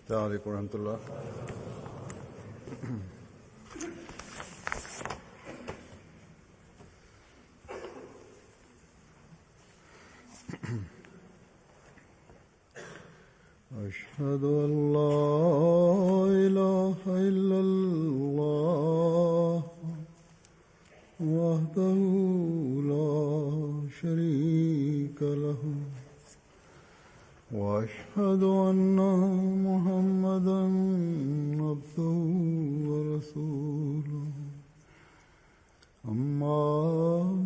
السلام عليڪم ورحمة الله. أشهد أن لا إله إلا الله وحده لا شريك له وأشهد أن محمدا عبده ورسوله. أما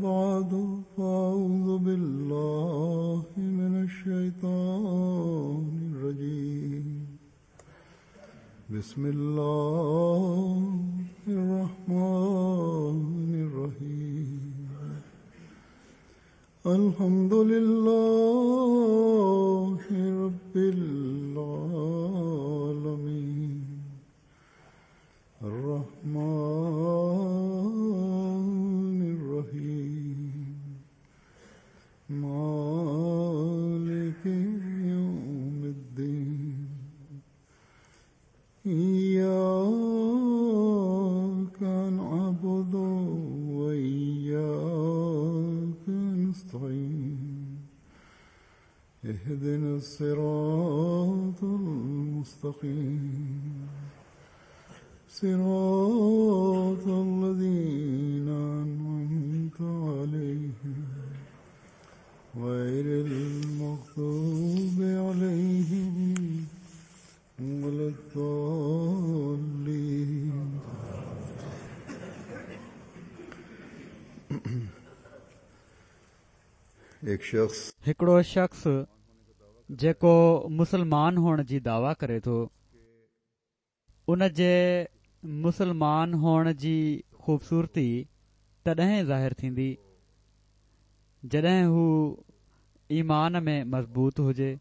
بعد، فأعوذ بالله من الشيطان الرجيم. بسم الله الرحمن الرحيم. الحمد لله رب العالمين، الرحمن الرحيم، مالك يوم الدين، إياك نعبد وإياك نستعين، اهدنا الصراط المستقيم، صراط الذين أنعمت عليهم، غير المغضوب عليهم ولا الضالين. ایڪ شخص هڪڙو شخص جيڪو مسلمان هئڻ جي دعويٰ ڪري ٿو، ان جي مسلمان هئڻ جي خوبصورتي تڏهن ظاهر ٿيندي، جڏهن هو ايمان ۾ مضبوط هجي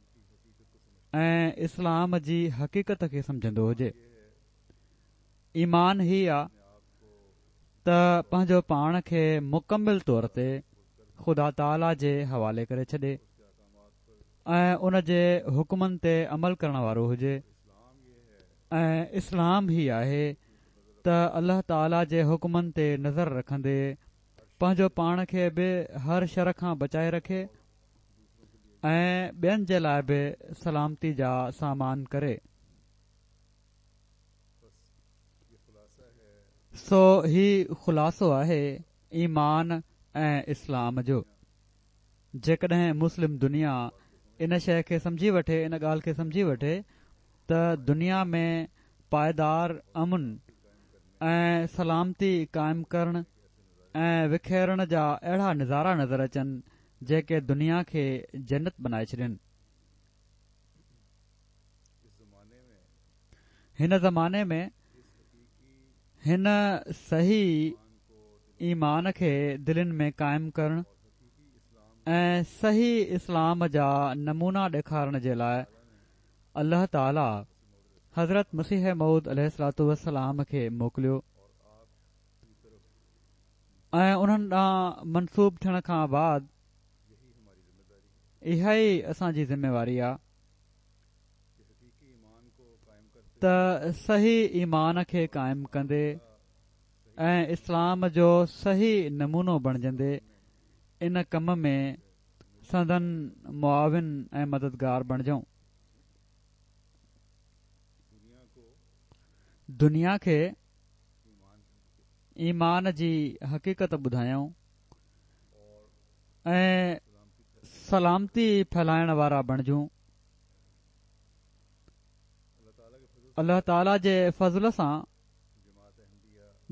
۽ اسلام جي حقيقت کي سمجهندو هجي. ايمان هي آ ته پنهنجو پاڻ کي مڪمل طور تي خدا تعاليٰ جي حوالي ڪري ڇڏي ۽ ان جي حڪمن تي عمل ڪرڻ وارو هجي ۽ اسلام هي آهي ته الله تعاليٰ جي حڪمن تي نظر رکندي پنهنجو پاڻ کي به هر شر کان بچائي رکي ۽ ٻين جي لاء به سلامتي جا سامان ڪري. سو هي خلاصو آهي ايمان ۽ اسلام جو. جيڪڏهن مسلم دنيا ان شيء کي سمجهي وٺي، ان ڳالهه کي سمجهي وٺي ته دنيا ۾ پائيدار امن ۽ سلامتي قائم ڪرڻ ۽ وکيرڻ جا اهڙا نظارا نظر اچن جيڪي دنيا کي جنت بنائي ڇڏين. هن زماني ۾ هن صحيح ايمان کي دلين ۾ قائم ڪرڻ ۽ صحيح اسلام جا نمونا ڏيکارڻ جي لاء الله تعالي حضرت مسيح موعود عليه الصلوة والسلام کي موڪليو ۽ انهن ڏانهن منسوب ٿيڻ کان بعد اها ئي اسان جي ذميواري آ ته صحيح ايمان کي قائم ڪندي ۽ اسلام جو صحيح نمونو بڻجندي ان ڪم ۾ سندن معاون ۽ مددگار بڻجون. دنيا کي ايمان جي حقيقت ٻڌايون ۽ سلامتي ڦهلائڻ وارا بڻجون. الله تعاليٰ جي فضل سان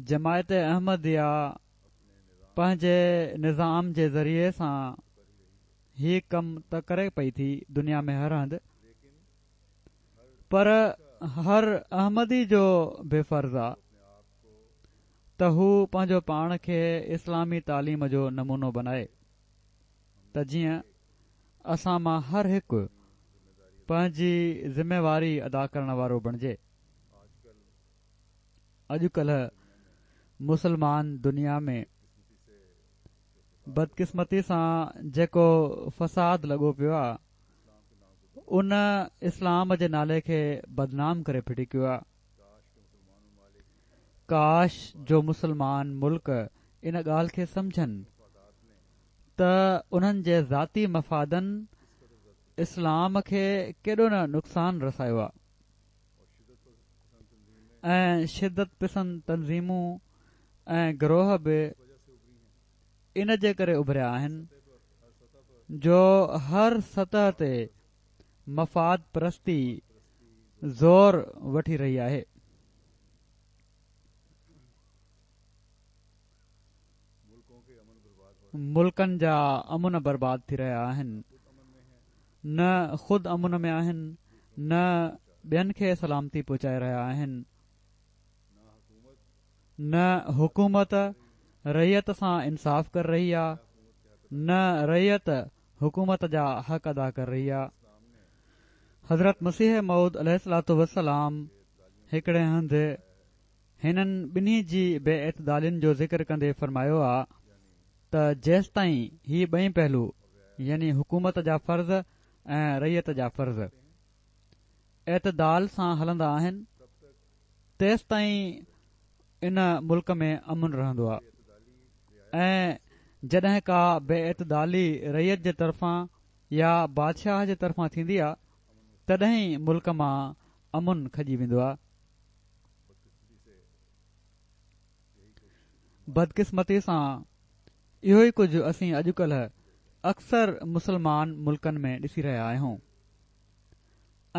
جماعت احمديه پنهنجي نظام جي ذريعي سان هي ڪم ته ڪري پئي ٿي دنيا ۾ هر هنڌ، پر هر احمدي جو به فرض آ ته هو پنهنجو پاڻ کي اسلامي تعليم جو نمونو بنائي ته جيئن اسان مان هر هڪ پنهنجي ذميواري ادا ڪرڻ وارو بڻجي. اڄڪلهه مسلمان دنيا ۾ بدقسمتي سان جيڪو فساد لڳو پيو آ، ان اسلام جي نالي کي بدنام ڪري ڦٽي ڪيو آ. ڪاش جو مسلمان ملڪ ان ڳالهه کي سمجهن ته انهن جي ذاتي مفادن اسلام کي ڪيڏو نه نقصان رسايو آ ۽ شدت پسند تنظيمون ۽ گروهه به ان جي ڪري اڀريا آهن جو هر سطح تي مفاد پرستي زور وٺي رهي آهي. ملڪن جا امن برباد ٿي رهيا آهن. نه خود امن ۾ آهن نه ٻين کي سلامتي پهچائي رهيا آهن. نه حڪومت رعيت سان انصاف ڪر رهي آ نه رعيت حڪومت جا حق ادا ڪر رهي آ. حضرت مسيح موعود عليه الصلوة والسلام هڪڙي هنڌ هنن ٻنهي جي بي اعتدالين جو ذڪر ڪندي فرمايو آ ته جيستائين هي ٻئي پهلو يعني حڪومت جا فرض ۽ رعيت جا فرض اعتدال سان هلندا آهن تيستائين ان ملڪ ۾ امن رهندو آهي ۽ جڏهن ڪا بي اعتدالي رعيت جي طرفان يا بادشاهه جي طرفان ٿيندي آهي تڏهن ئي ملڪ مان امن کڄي ويندو آهي. بدقسمتي سان اهو ئي ڪجهه اسين اڄڪلهه اڪثر مسلمان ملڪن ۾ ڏسي رهيا آهيون.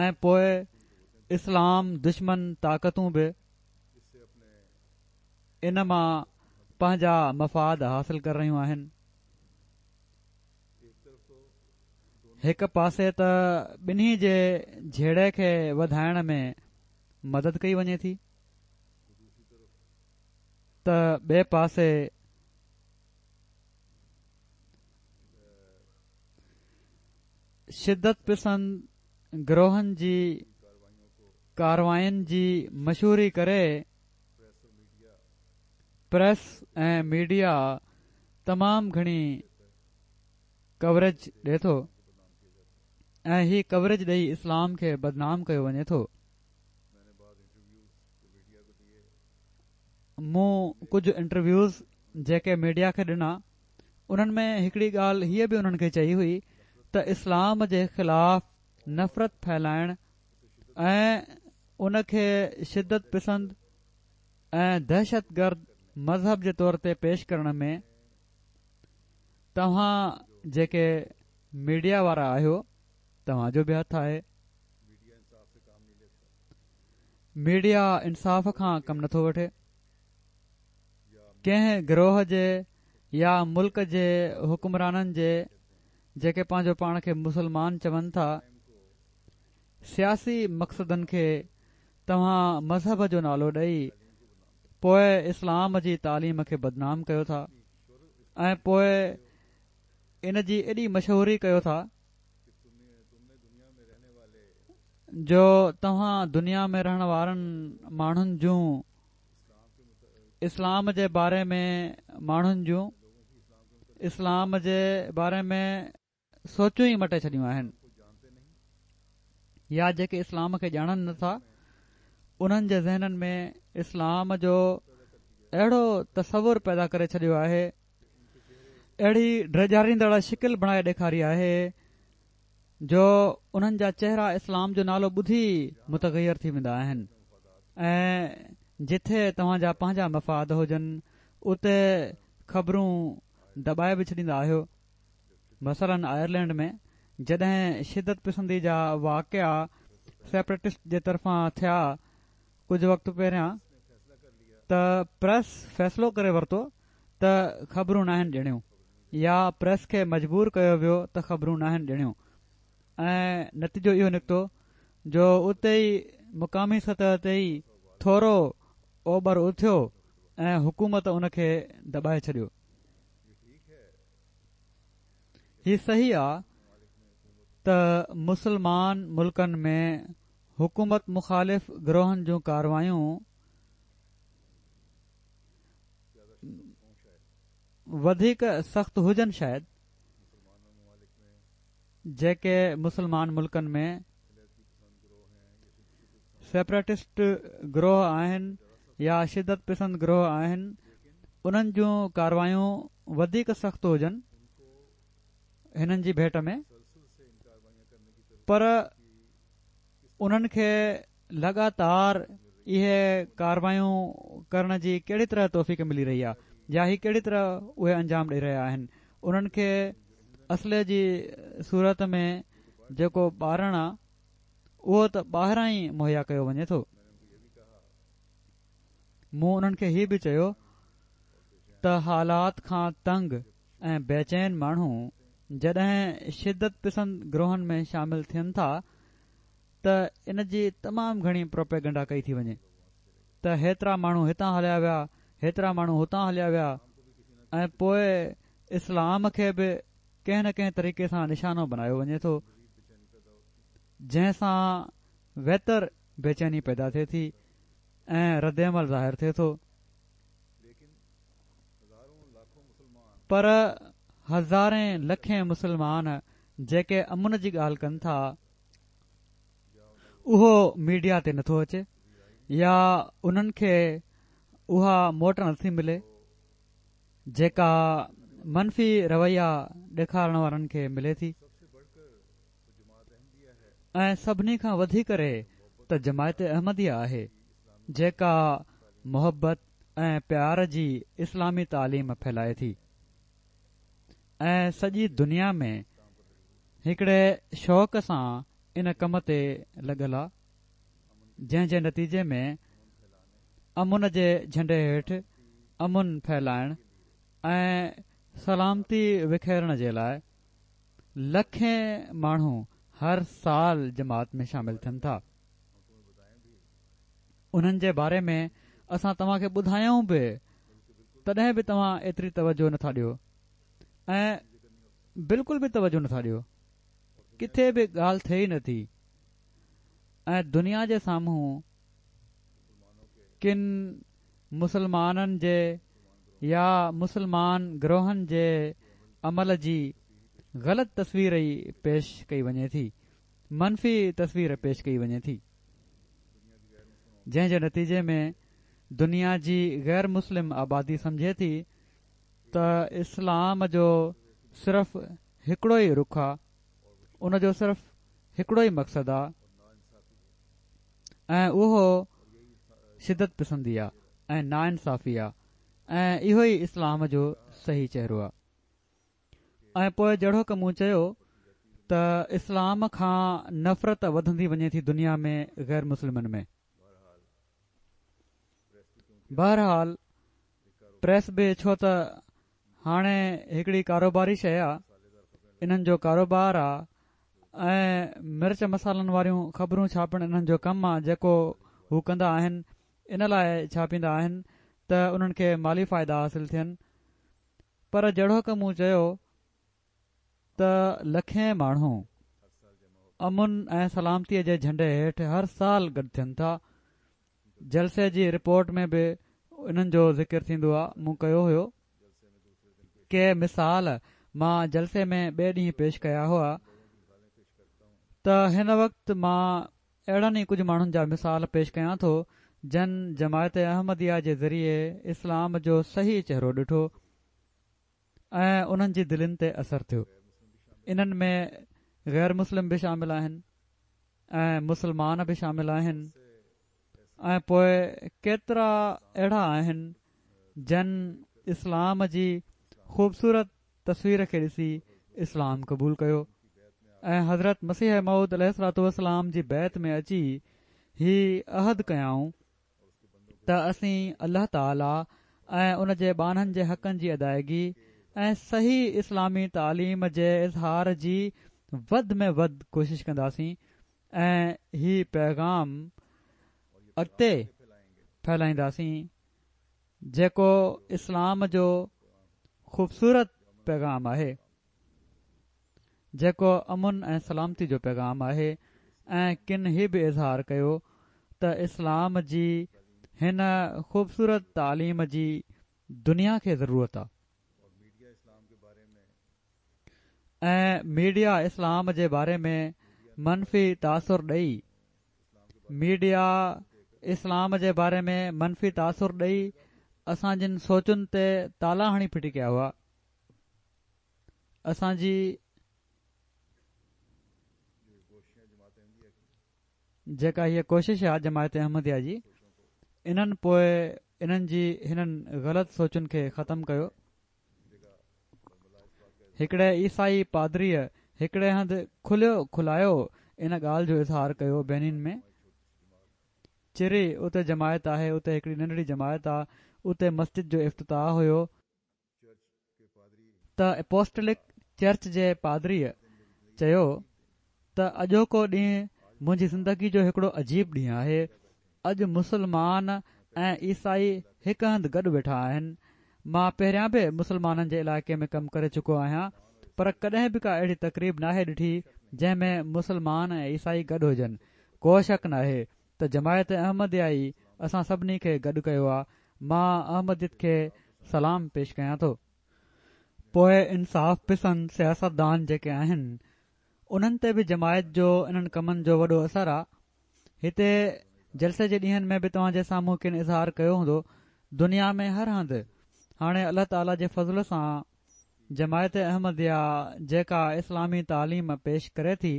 ۽ پوء اسلام دشمن طاقتون به ان مان پنهنجا مفاد حاصل ڪري رهيون آهن. هڪ پاسي ته ٻنهي جي جهيڙي کي وڌائڻ ۾ مدد ڪئي وڃي ٿي ته ٻئي پاسي شدت پسند گروهن جي ڪارواين جي مشهوري ڪري پريس ۽ ميڊيا تمام گهڻي ڪوريج ڏي ٿو ۽ هي ڪوريج ڏئي اسلام کي بدنام ڪيو وڃي ٿو. مون ڪجهه انٽرويوز جيڪي ميڊيا کي ڏنا انهن ۾ هڪڙي ڳالهه هيء به انهن کي چئي هئي ته اسلام جي خلاف نفرت ڦهلائڻ ۽ ان کي شدت پسند ۽ دهشت گرد مذهب جي طور تي پيش ڪرڻ ۾ توهان جيڪي ميڊيا وارا آهيو توهان جو به هٿ آهي. ميڊيا انصاف کان ڪم نٿو وٺي. ڪنهن گروهه جي يا ملڪ جي حڪمرانن جي جيڪي پنهنجو پاڻ کي مسلمان چون ٿا سياسي مقصدن کي توهان مذهب جو نالو ڏئي پوء اسلام جي تعليم کي بدنام ڪيو ٿا ۽ پوء ان جي ايڏي مشهوري ڪيو ٿا جو توهان دنيا ۾ رهڻ وارن ماڻهن جون اسلام جي باري ۾ ماڻهن جون اسلام جي باري ۾ سوچون ئي مٽي ڇڏيون آهن يا جيڪي اسلام کي ڄاڻن نٿا انهن جي ذهنن ۾ اسلام جو اهڙو تصور پيدا ڪري ڇڏيو آهي اهڙي ڊيڄاريندڙ شڪل بڻائي ڏيکاري آهي جو انهن جا چهرا اسلام جو نالو ٻڌي متغير ٿي ويندا آهن ۽ جٿي توهان جا پنهنجا مفاد هجن اتي خبرون دٻائي به ڇڏيندا آهيو مثلاً آئرلينڊ ۾ جڏهن شدت پسندي جا واقعا سيپريٽسٽ جي طرفان ٿيا ڪجهه وقت پهريان ته پريس فيصلو ڪري ورتو ته خبرون ناهن ڏيڻيون يا پريس کي مجبور ڪيو ويو ته خبرون ناهن ڏيڻيون ۽ نتيجو اهو نڪتو جو اتي ئي مقامي سطح تي ئي ٿورو اوٻر اٿيو ۽ حڪومت ان کي دٻائي ڇڏيو. هي صحيح آ ته مسلمان ملڪن ۾ حڪومت مخالف گروهن جون ڪاروايون وڌيڪ سخت هجن شايد. جيڪي مسلمان ملڪن ۾ سيپريٽسٽ گروهه آهن يا شدت پسند گروهه آهن انهن جون ڪاروايون وڌيڪ سخت هجن هنن جي ڀيٽ ۾ پر انهن کي لڳاتار اهي ڪاروايون ڪرڻ جي ڪهڙي طرح توفيق ملي رهي آهي يا هي ڪهڙي طرح اهي انجام ڏئي رهيا آهن انهن کي اسلحي جي صورت ۾ جيڪو ٻارڻ آ اهو ته ٻاهران ئي مهيا ڪيو وڃي ٿو. مون انهن کي هي به چيو ته حالات کان تنگ ۽ بيچين ماڻهو جڏهن شدت پسند گروهن ۾ شامل ٿين ٿا ته ان جي تمام گهڻي پروپيگنڊا ڪئي ٿي وڃي ته هيترا ماڻهو هتان هليا ويا، هيترا ماڻهو هتان هليا ويا ۽ پوء اسلام کي به ڪنهن نه ڪنهن طريقي سان نشانو بنايو وڃي ٿو، جنهن سان ويتر بيچيني پيدا ٿئي ٿي ۽ ردعمل ظاهر ٿئي ٿو. پر هزارين لکين مسلمان جيڪي امن جي ڳالهه ڪن ٿا، اهو ميڊيا تي نٿو اچي يا انهن کي اها موٽ نٿي ملي جيڪا منفي رويا ڏيکارڻ وارن کي ملي ٿي ۽ سڀني کان وڌي ڪري ته جماعت احمديه آهي جيڪا محبت ۽ پيار جي اسلامي تعليم ڦهلائي ٿي ۽ سڄي دنيا ۾ هڪڙي شوق سان ان ڪم تي لڳل آ جنهن جي نتيجي ۾ امن جي جهنڊي هيٺ امن ڦهلائڻ ۽ سلامتي وکيرڻ جي لاء لکين ماڻهو هر سال جماعت ۾ شامل ٿين ٿا. انهن جي باري ۾ اسان توهان کي ٻڌايون به تڏهن به توهان ايتري توجه نٿا ڏيو ۽ بلڪل به توجه نٿا ڏيو ڪٿي به ڳالهه ٿئي ئي نٿي ۽ دنيا جي سامهون ڪن مسلمانن جي يا مسلمان گروهن جي عمل جي غلط تصوير ئي پيش ڪئي وڃي ٿي منفي تصوير پيش ڪئي وڃي ٿي جنهن جي نتيجي ۾ دنيا جي غير مسلم آبادي سمجهي ٿي ته اسلام جو صرف هڪڙو ئي رخ آ، ان جو صرف هڪڙو ئي مقصد آ ۽ اهو شدت پسندي آ ۽ ناانصافي آ ۽ اهو ئي اسلام جو صحيح چهرو آ. ۽ پوء جهڙوڪ مون چيو ته اسلام کان نفرت وڌندي وڃي ٿي دنيا ۾ غير مسلمن ۾. بهرحال پريس به ڇو ته هاڻي هڪڙي ڪاروباري شيء آ، انهن جو ڪاروبار آ ۽ مرچ مصالحن واريون خبرون ڇاپڻ انهن جو ڪم آ جيڪو هو ڪندا آهن ان لاء ڇاپيندا آهن ته انهن کي مالي فائدا حاصل ٿين. پر جهڙوڪ مون چيو ته لکين ماڻهو امن ۽ سلامتي جي جهنڊي هيٺ هر سال گڏ ٿين ٿا. جلسي جي رپورٽ ۾ به انهن جو ذڪر ٿيندو آ مون ڪيو هيو. ڪي مثال مان جلسي ۾ ٻئي ڏينهن پيش ڪيا هئا ته هن وقت مان اهڙن ئي ڪجهه ماڻهن جا مثال پيش ڪيان ٿو جن جماعت احمديه جي ذريعي اسلام جو صحيح چهرو ڏٺو ۽ انهن جي دلين تي اثر ٿيو. انهن ۾ غير مسلم به شامل آهن ۽ مسلمان به شامل آهن ۽ پوء ڪيترا اهڙا آهن جن اسلام جي خوبصورت تصوير کي ڏسي اسلام قبول ڪيو ۽ حضرت مسيح موعود عليه الصلوة والسلام جي بيعت ۾ اچي هي عهد ڪيائون ته اسين الله تعالي ۽ ان جي ٻانهن جي حقن جي ادائگي ۽ صحيح اسلامي تعليم جي اظهار جي وڌ ۾ وڌ ڪوشش ڪنداسين ۽ هي پيغام اڳتي ڦهلائينداسين جيڪو اسلام جو خوبصورت پيغام آهي، جيڪو امن ۽ سلامتي جو پيغام آهي ۽ ڪن هي به اظهار ڪيو ته اسلام جي هن خوبصورت تعليم جي دنيا کي ضرورت آ. ۽ ميڊيا اسلام جي باري ۾ منفي تاثر ڏئي ميڊيا اسلام جي باري ۾ منفي تاثر ڏئي اسان جن سوچن تي تالا هڻي ڦٽي ڪيا هئا. اسان جي جيڪا هيء ڪوشش آ جماعت احمديه جي انهن پوء انهن جي هنن غلط سوچن کي ختم ڪيو. هڪڙي عيسائي پادريء هڪڙي هنڌ کليو کلايو ان ڳالهه جو اظهار ڪيو بينين ۾ چري اتي جماعت آهي اتي هڪڙي ننڍڙي جماعت آ اتي مسجد جو افتتاح هيو. ته اپوسٽلڪ چرچ جي پادريء چيو ته اڄوڪو ڏينهن منهنجي زندگي جو هڪڙو عجيب ڏينهن آهي، اڄ مسلمان ۽ عيسائي هڪ هنڌ گڏ ويٺا آهن، مان پهريان به مسلمانن جي علائقي ۾ ڪم ڪري چڪو آهيان پر ڪڏهن به ڪا اهڙي تقريب ناهي ڏٺي جنهن ۾ مسلمان ۽ عيسائي گڏ هجن، ڪو شڪ ناهي ته جماعت احمديه ئي اسان سڀني کي گڏ ڪيو آ، مان احمديت کي سلام پيش ڪيان ٿو. پوء انصاف پسند سياستدان جيڪي آهن انهن تي به جماعت جو انهن ڪمن جو وڏو اثر آ. هتي جلسي جي ڏينهن ۾ به توهان جي سامهون ڪن اظهار ڪيو هوندو. دنيا ۾ هر هنڌ هاڻي الله تعاليٰ جي فضل سان جماعت احمديه جيڪا اسلامي تعليم پيش ڪري ٿي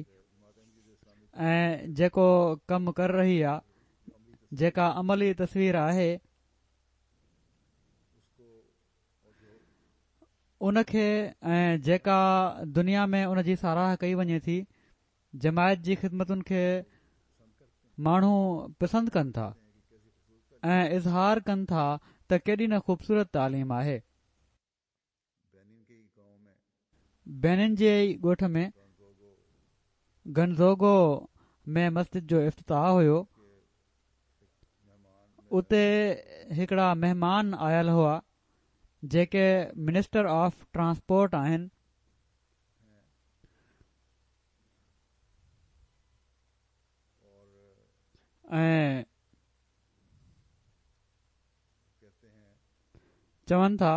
۽ جيڪو ڪم ڪري رهي آ جيڪا عملي تصوير آهي ان کي ۽ جيڪا دنيا ۾ ان جي ساراهه ڪئي وڃي ٿي جماعت جي خدمتن کي ماڻهو پسند ڪن ٿا ۽ اظهار ڪن ٿا ته ڪيڏي نه خوبصورت تعليم آهي. بينن جي ئي ڳوٺ ۾ گنزوگو ۾ مسجد جو افتتاح هيو اتي هڪڙا مهمان آيل هئا جيڪي منسٽر آف ٽرانسپورٽ آهن. ۽ چون ٿا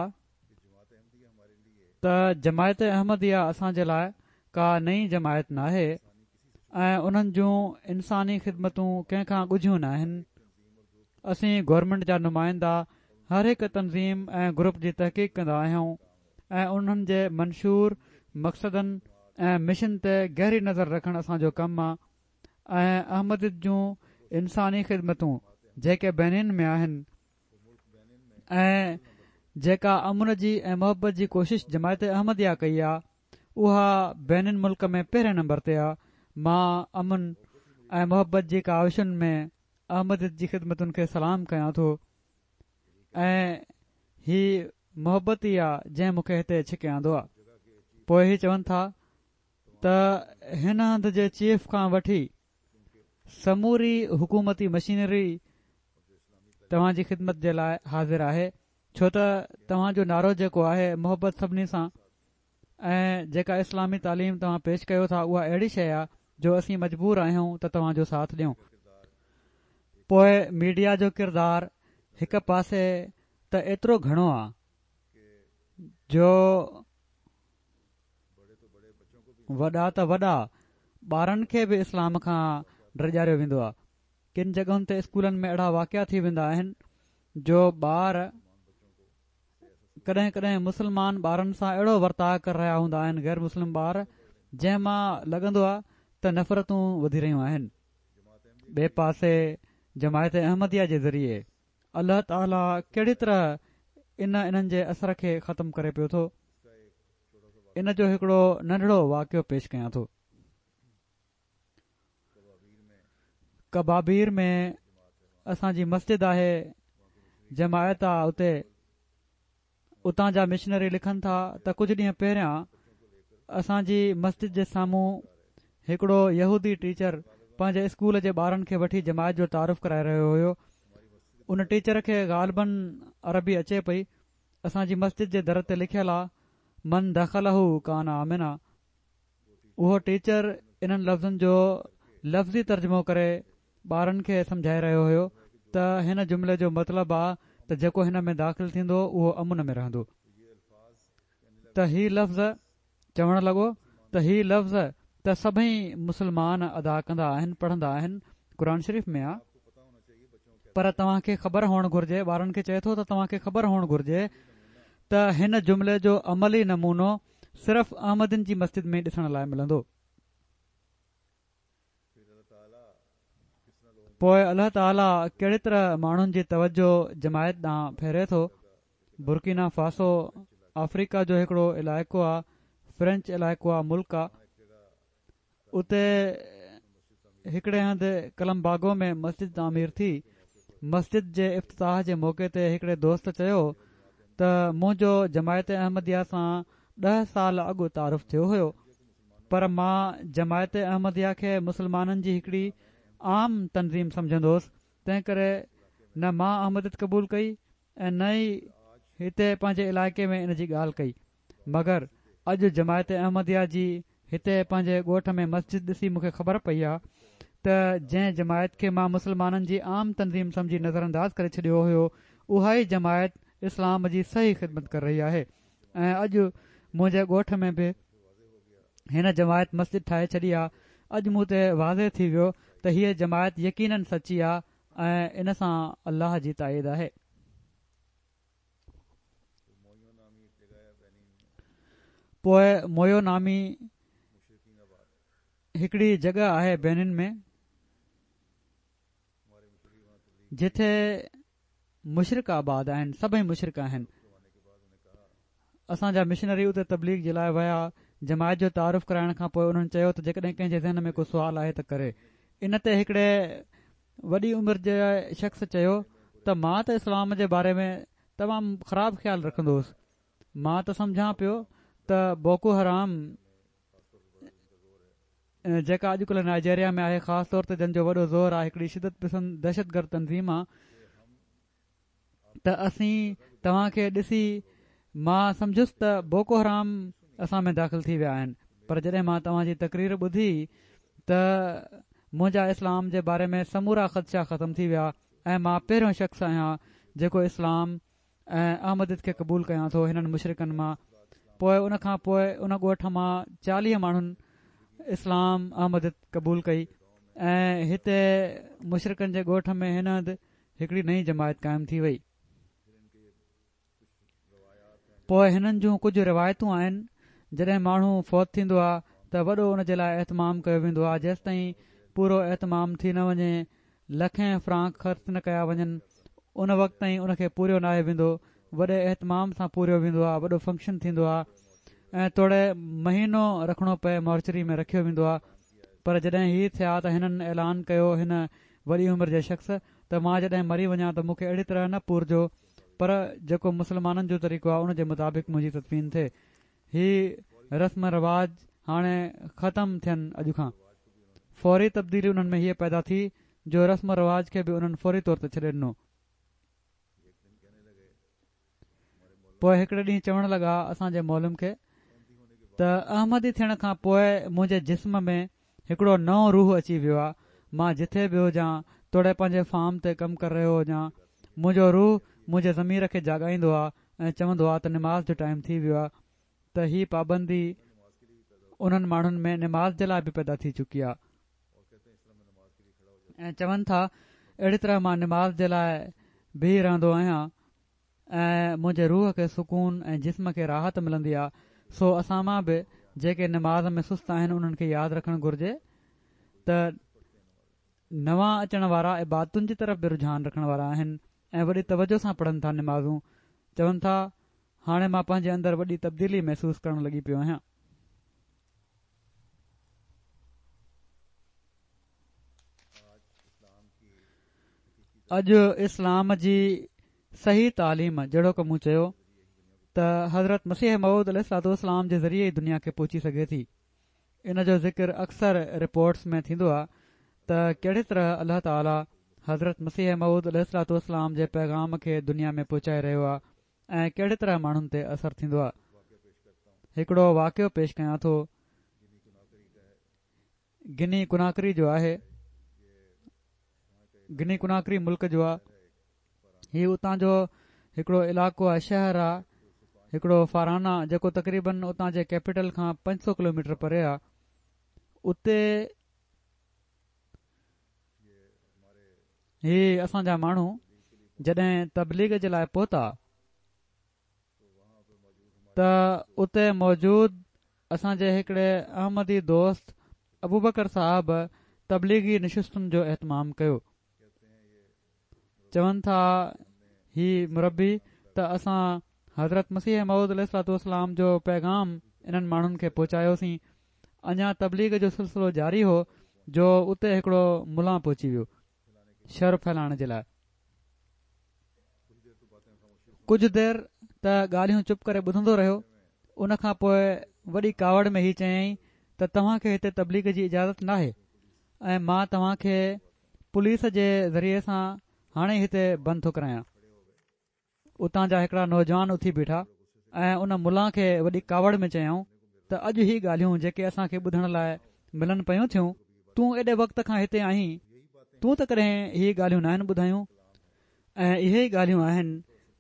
ته جماعت احمديه اسان جي لاء ڪا نئين جماعت ناهي ۽ انهن جون انساني خدمتون ڪنهن کان ڳجهيون ناهن. اسين گورنمينٽ جا نمائندا هر هڪ تنظيم ۽ گروپ جي تحقيق ڪندا آهيون ۽ انهن جي منشور، مقصدن ۽ مشن تي گهري نظر رکڻ اسان جو ڪم آ. ۽ احمديت جون انساني خدمتون جيڪي بينين ۾ آهن ۽ جيڪا امن جي ۽ محبت جي ڪوشش جماعت احمديه ڪئي آ اها بينين ملڪ ۾ پهرين نمبر تي آ مان امن ۽ محبت جي ڪاوشن ۾ احمديت جي خدمتن کي سلام ڪيان ٿو ۽ هي محبت ئي آ جنهن مون کي هتي ڇڪي آندو آ پوء هي چون ٿا ته هن هنڌ جي چيف کان وٺي سموري حڪومتي مشينري توهان جي خدمت جي لاء حاضر آهي ڇو ته توهان جو نعرو جيڪو آهي محبت سڀني سان ۽ جيڪا اسلامي تعليم توهان پيش ڪيو ٿا اها اهڙي شيء آهي جو اسين مجبور آهيون ته توهان جو ساٿ ڏيون. پوء ميڊيا جو ڪردار هڪ پاسي ته ايترو گهڻو آهي جو وڏا ته وڏا ٻارن کي به اسلام کان ڊيڄاريو ويندو آهي. ڪن جڳهن تي اسڪولن ۾ اهڙا واقعا ٿي ويندا آهن جو ٻار ڪڏهن ڪڏهن مسلمان ٻارن سان اهڙو ورتاء ڪري رهيا هوندا آهن غير مسلم ٻار جنهن مان لڳندو آهي ته نفرتون وڌي رهيون آهن. ٻئي پاسي جماعت احمديه جي ذريعي الله تعالي ڪهڙي طرح ان انهن جي اثر کي ختم ڪري پيو ٿو. ان جو هڪڙو ننڍڙو واقعو پيش ڪيان ٿو. ڪبابير ۾ اسان جي مسجد آهي جماعت آ اتي اتان جا مشنري لکن ٿا ته ڪجهه ڏينهن پهريان اسان جي مسجد جي سامهون هڪڙو يهودي ٽيچر پنهنجي اسڪول جي ٻارن کي وٺي جماعت جو تعارف ڪرائي رهيو هيو ان ٽيچر کي غالباً عربي اچي پئي اسان جي مسجد جي در تي لکيل آ من دخله ڪان آمنا اهو ٽيچر انهن لفظن جو لفظي ترجمو ڪري ٻارن کي سمجهائي رهيو هيو ته هن جملي جو مطلب آ ته جيڪو هن ۾ داخل ٿيندو اهو امن ۾ رهندو ته هي لفظ چوڻ لڳو ته هي لفظ ته سڀئي مسلمان ادا ڪندا آهن پڙهندا آهن قرآن شريف ۾ آ پر توهان کي خبر هئڻ گهرجي ٻارن کي چئي ٿو ته توهان کي خبر هئڻ گهرجي ته هن جملي جو عملي نمونو صرف احمدين جي مسجد ۾ ڏسڻ لاء ملندو. پوء الله تعاليٰ ڪهڙي طرح ماڻهن جي توجه جماعت ڏانهن ڦيري ٿو. برڪينا فاسو آفريڪا جو هڪڙو علائقو آ، فرينچ علائقو آ، ملڪ آ. اتي هڪڙي هنڌ ڪلمباگو ۾ مسجد تعمير ٿي. مسجد جي افتتاح جي موقعي تي هڪڙي دوست چيو ته منهنجو جماعت احمديه سان ڏهه سال اڳ تعارف ٿيو هيو پر مان جماعت احمديه کي مسلمانن جي هڪڙي عام تنظيم سمجهندو هوس تنهن ڪري نه مان احمديت قبول ڪئي ۽ نه ئي هتي پنهنجي علائقي ۾ ان جي ڳالهه ڪئي. مگر اڄ جماعت احمديه جي هتي پنهنجي ڳوٺ ۾ مسجد ڏسي مون کي خبر پئي آ ته جنهن جماعت کي مان مسلمانن جي عام تنظيم سمجهي نظرانداز ڪري ڇڏيو هيو اها ئي جماعت اسلام جي صحيح خدمت ڪري رهي آهي ۽ اڄ منهنجي ڳوٺ ۾ به هن جماعت مسجد ٺاهي ڇڏي آ اڄ مون تي واضح ٿي ويو ته هيء جماعت يقينن سچي آ ۽ ان سان الله جي تائيد آهي. پوء مويو نامي هڪڙي جڳهه آهي بينن ۾ جتي مشرڪ آباد آهن سڀئي مشرڪ آهن اسان جا مشنري اتي تبليغ جي لاء ويا جماعت جو تعارف ڪرائڻ کان پوء انهن چيو ته جيڪڏهن ڪنهن جي ذهن ۾ ڪو سوال آهي ته ڪري ان تي هڪڙي وڏي عمر جي شخص چيو ته مان ته اسلام جي باري ۾ تمام خراب خيال رکندو هوس مان ته سمجهان پيو ته بوڪو حرام جيڪا اڄڪلهه نائجيريا ۾ آهي خاص طور تي جن جو وڏو زور آهي هڪڙي شدت پسند دهشتگرد تنظيم آهي ته اسين توهان کي ڏسي مان سمجهيس ته بوڪو حرام اسان ۾ داخل ٿي ويا آهن پر جڏهن مان توهان جي تقرير ٻڌي ته منهنجا اسلام جي باري ۾ سمورا خدشا ختم ٿي ويا ۽ مان پهريون شخص آهيان جيڪو اسلام ۽ احمديت کي قبول ڪيان ٿو هنن مشرڪن مان پوء ان کان پوء ان ڳوٺ مان 40 ماڻهن اسلام احمديت قبول ڪئي ۽ هتي مشرڪن جي ڳوٺ ۾ هن هنڌ هڪڙي نئين جماعت قائم ٿي وئي. پوء هنن جون ڪجهه روايتون آهن، جڏهن ماڻهو فوت ٿيندو آ ته وڏو ان جي لاء اهتمام ڪيو ويندو آ، جيستائين پورو اهتمام ٿي نه وڃي، لکين فرانڪ خرچ نه ڪيا وڃن، ان وقت تائين ان کي پوريو ناهي ويندو، وڏي اهتمام سان پوريو ويندو آ، وڏو فنڪشن ٿيندو آ ۽ توڙي مهينو رکڻو پئي مورچري ۾ رکيو ويندو آ، پر جڏهن هي ٿيا ته هنن اعلان ڪيو هن وڏي عمر جي شخص ته مان جڏهن مري وڃان ته مون کي اهڙي طرح نه پورجو پر جيڪو مسلمانن جو طريقو آهي ان جي مطابق منهنجي تدفين ٿئي. هي رسم رواج هاڻي ختم ٿين اڄ کان. فوري تبديلي انهن ۾ هيء پيدا ٿي جو رسم رواج کي به انهن فوري طور تي ڇڏي ڏنو. پوء هڪڙي ڏينهن چوڻ لڳا اسان جي معلم کي ته احمدي ٿيڻ کان پوء منهنجي جسم ۾ هڪڙو نئون روح اچي ويو آهي مان جٿي به هجان توڙي پنهنجي فارم تي ڪم ڪري رهيو هجان منهنجو روح منهنجي ضمير کي جاڳائيندو آهي ۽ چوندو آهي ته نماز جو ٽائيم ٿي ويو آهي ته هي پابندي انهن ماڻهن ۾ نماز جي لاء به پيدا ٿي چڪي آهي ۽ چون ٿا اهڙي طرح مان نماز جي لاء بيهي رهندو آهيان ۽ منهنجي روح کي سڪون ۽ جسم کي راحت ملندي آ سو اسان مان به جيڪي نماز ۾ سست آهن انهن کي ياد رکڻ گهرجي ته نوان اچڻ وارا عبادتن جي طرف به رجحان رکڻ وارا آهن ۽ وڏي توجه سان پڙهن ٿا نمازون چون ٿا هاڻي مان پنهنجي اندر وڏي تبديلي محسوس ڪرڻ لڳي پيو آهيان. اڄ اسلام جي صحيح تعليم جهڙوڪ مون چيو ته حضرت مسيح موعود عليه الصلوة والسلام جي ذريعي ئي دنيا کي پهچي سگهي ٿي ان جو ذڪر اڪثر رپورٽس ۾ ٿيندو آهي ته ڪهڙي طرح الله تعالي حضرت مسيح موعود عليه الصلوة والسلام جي پيغام کي دنيا ۾ پهچائي رهيو آهي ۽ ڪهڙي طرح ماڻهن تي اثر ٿيندو آهي. هڪڙو واقعو پيش ڪيان ٿو. گني ڪناڪري جو آهي. گني ڪناڪري ملڪ جو آهي. هي اتان جو هڪڙو علائقو آهي شهر آهي. هڪڙو فارانا جيڪو تقريبن اتان جي ڪيپيٽل کان 500 ڪلوميٽر پري آ اتي هي اسان جا ماڻهو جڏهن تبليغ جي لاء پهتا ته اتي موجود اسان جي هڪڙي احمدي دوست ابوبڪر صاحب تبليغي نشستن جو اهتمام ڪيو. چون ٿا هي مربي ته اسان حضرت مسيح موعود عليه الصلوة والسلام جو پيغام انهن ماڻهن کي پهچايوسين اڃا تبليغ جو سلسلو جاري هو جو اتي هڪڙو ملان پهچي ويو شر ڦهلائڻ جي لاء ڪجهه دير ته ڳالهيون چپ ڪري ٻڌندو رهيو ان کان پوء وڏي ڪاوڙ ۾ هي چيائين ته توهان کي هتي تبليغ جي اجازت ناهي ۽ مان توهان کي پوليس جي ذريعي سان هاڻي ئي هتي بند ٿو ڪرايان. اتان جا هڪڙا نوجوان اٿي بيٺا ۽ ان ملان کي وڏي ڪاوڙ ۾ چيائون ته اڄ هي ڳالهيون جيڪي اسان کي ٻڌڻ لاء ملن پيون ٿيون تون ايڏي وقت کان هتي آهين تون ته ڪڏهن هي ڳالهيون ناهن ٻڌايون ۽ اهي ئي ڳالهيون آهن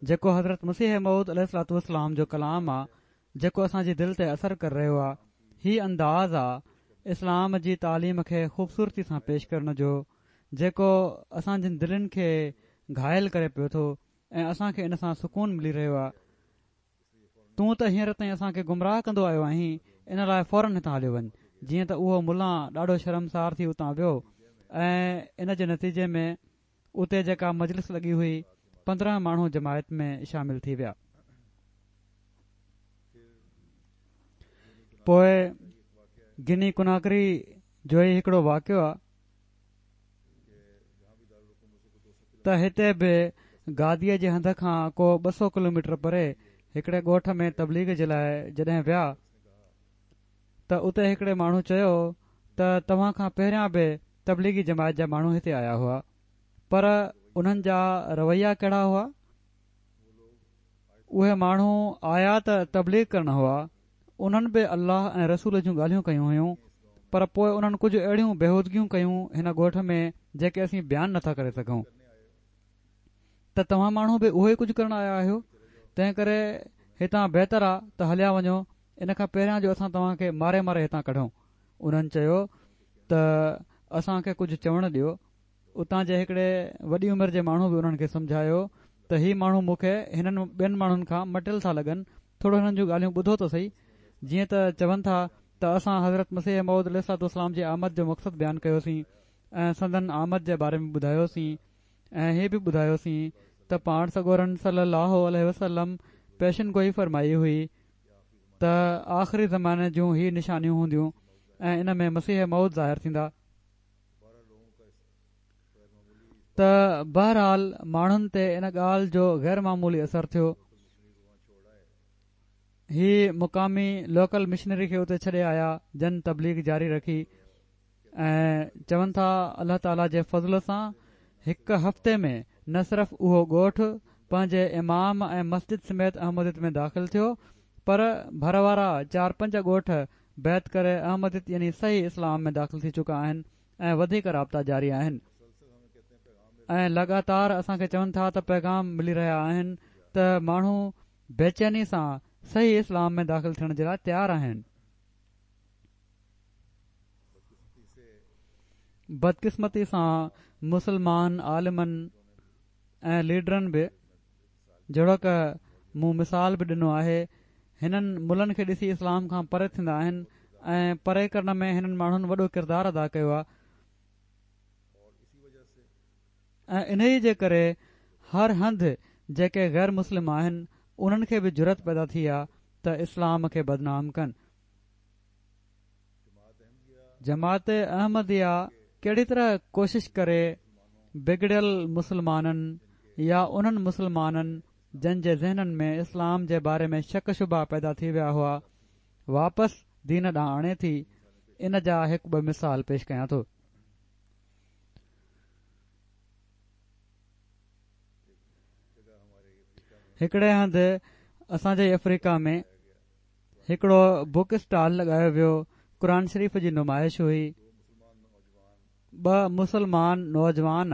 جيڪو حضرت مسيح موعود عليه الصلوة والسلام جو ڪلام آ جيڪو اسان جي دل تي اثر ڪري رهيو آ هي انداز آ اسلام جي تعليم کي خوبصورتي سان پيش ڪرڻ جو جيڪو اسان جن دلين کي گهائل ڪري پيو ٿو ۽ اسان کي ان سان سڪون ملي رهيو آ تون ته هينئر تائين اسان کي گمراهه ڪندو آيو آهين ان لاء فورن هتان هليو وڃ جيئن ته اهو ملان ڏاڍو شرمسار ٿي اتان ويو ۽ ان جي نتيجي ۾ اتي جيڪا مجلس لڳي هئي 15 ماڻهو جماعت ۾ شامل ٿي ويا. پوء گني ڪناڪري جو ئي هڪڙو واقعو آ ته هتي به گاديء جي هنڌ کان ڪو 200 ڪلوميٽر پري هڪڙي ڳوٺ ۾ تبليغ جي لاء جڏهن ويا ته اتي هڪڙي ماڻهو چيو ته توهان کان پهريان به تبليغي جماعت جا ماڻهو هتي آيا هئا پر انهن جا رويا ڪهڙا هئا؟ اهي ماڻهو آيا ته تبليغ ڪرڻ هئا انهن به الله ۽ رسول جون ڳالهيون ڪيون هيون پر پوء انهن ڪجهه اهڙيون بيهودگيون ڪيون هن ڳوٺ ۾ جيڪي اسين بيان نٿا ڪري سگهون ته توهان ماڻهو به اهو ئي ڪجهه ڪرڻ آيا آهيو تنهن ڪري هتان بهتر آ ته هليا وڃو ان کان پهريان جو اسان توهان کي ماري ماري هتان ڪڍون انهن چيو ته اسان کي ڪجهه چوڻ ڏيو. اتان جي هڪڙي وڏي عمر جي ماڻهو به انهن کي سمجهايو ته هي ماڻهو مون کي هنن ٻين ماڻهن کان مٽيل ٿا لڳن، ٿورو هنن جون ڳالهيون ٻڌو ته سهي. جيئن ته چون ٿا ته اسان حضرت مسيح موعود عليه الصلوة والسلام جي آمد جو مقصد بيان ڪيوسين ۽ سندن آمد جي باري ۾ ٻڌايوسين ۽ هي به ٻڌايوسين ته پاڻ سڳورن صلّي اللّٰه عليه وسلّم پيشن گوئي فرمائي هئي ته آخري زماني جون هي نشانيون هونديون ۽ ان ۾ مسيح موعود ظاهر ٿيندا ته بهرحال ماڻهن تي ان ڳالهه جو غير معمولي اثر ٿيو هي مقامي لوڪل مشنري کي اتي ڇڏي آيا جن تبليغ جاري رکي ۽ چون ٿا الله تعالي جي فضل سان هڪ هفتي ۾ نه صرف اهو ڳوٺ پنهنجي امام ۽ مسجد سميت احمديت ۾ داخل ٿيو پر ڀر وارا چار پنج ڳوٺ بيعت ڪري احمديت يعني صحيح اسلام ۾ داخل ٿي چڪا آهن ۽ وڌيڪ رابطا جاري آهن ۽ لڳاتار اسان کي چون ٿا ته پيغام ملي رهيا آهن ته ماڻهو بيچيني سان صحيح اسلام ۾ داخل ٿيڻ جي لاء تيار آهن. بدقسمتي سان مسلمان عالمن ۽ ليڊرن به جهڙوڪ مون مثال به ڏنو آهي هنن ملن کي ڏسي اسلام کان پري ٿيندا آهن ۽ پري ڪرڻ ۾ هنن ماڻهن وڏو ڪردار ادا ڪيو آهي ۽ انهيء جي ڪري هر هنڌ جيڪي غير مسلم آهن انهن کي به جرئت پيدا ٿي آهي ته اسلام کي بدنام ڪن. جماعت احمديه ڪهڙي طرح ڪوشش ڪري بگڙيل مسلمانن يا انهن مسلمانن جن جي ذهنن ۾ اسلام جي باري ۾ شڪ شبها پيدا ٿي ويا هئا واپس دين ڏانهن آڻي ٿي ان جا هڪ ٻه مثال پيش ڪيان ٿو. هڪڙي هنڌ اسان جي افريقا ۾ هڪڙو بڪ اسٽال لڳايو ويو، قرآن شريف جي نمائش هئي، ٻه مسلمان نوجوان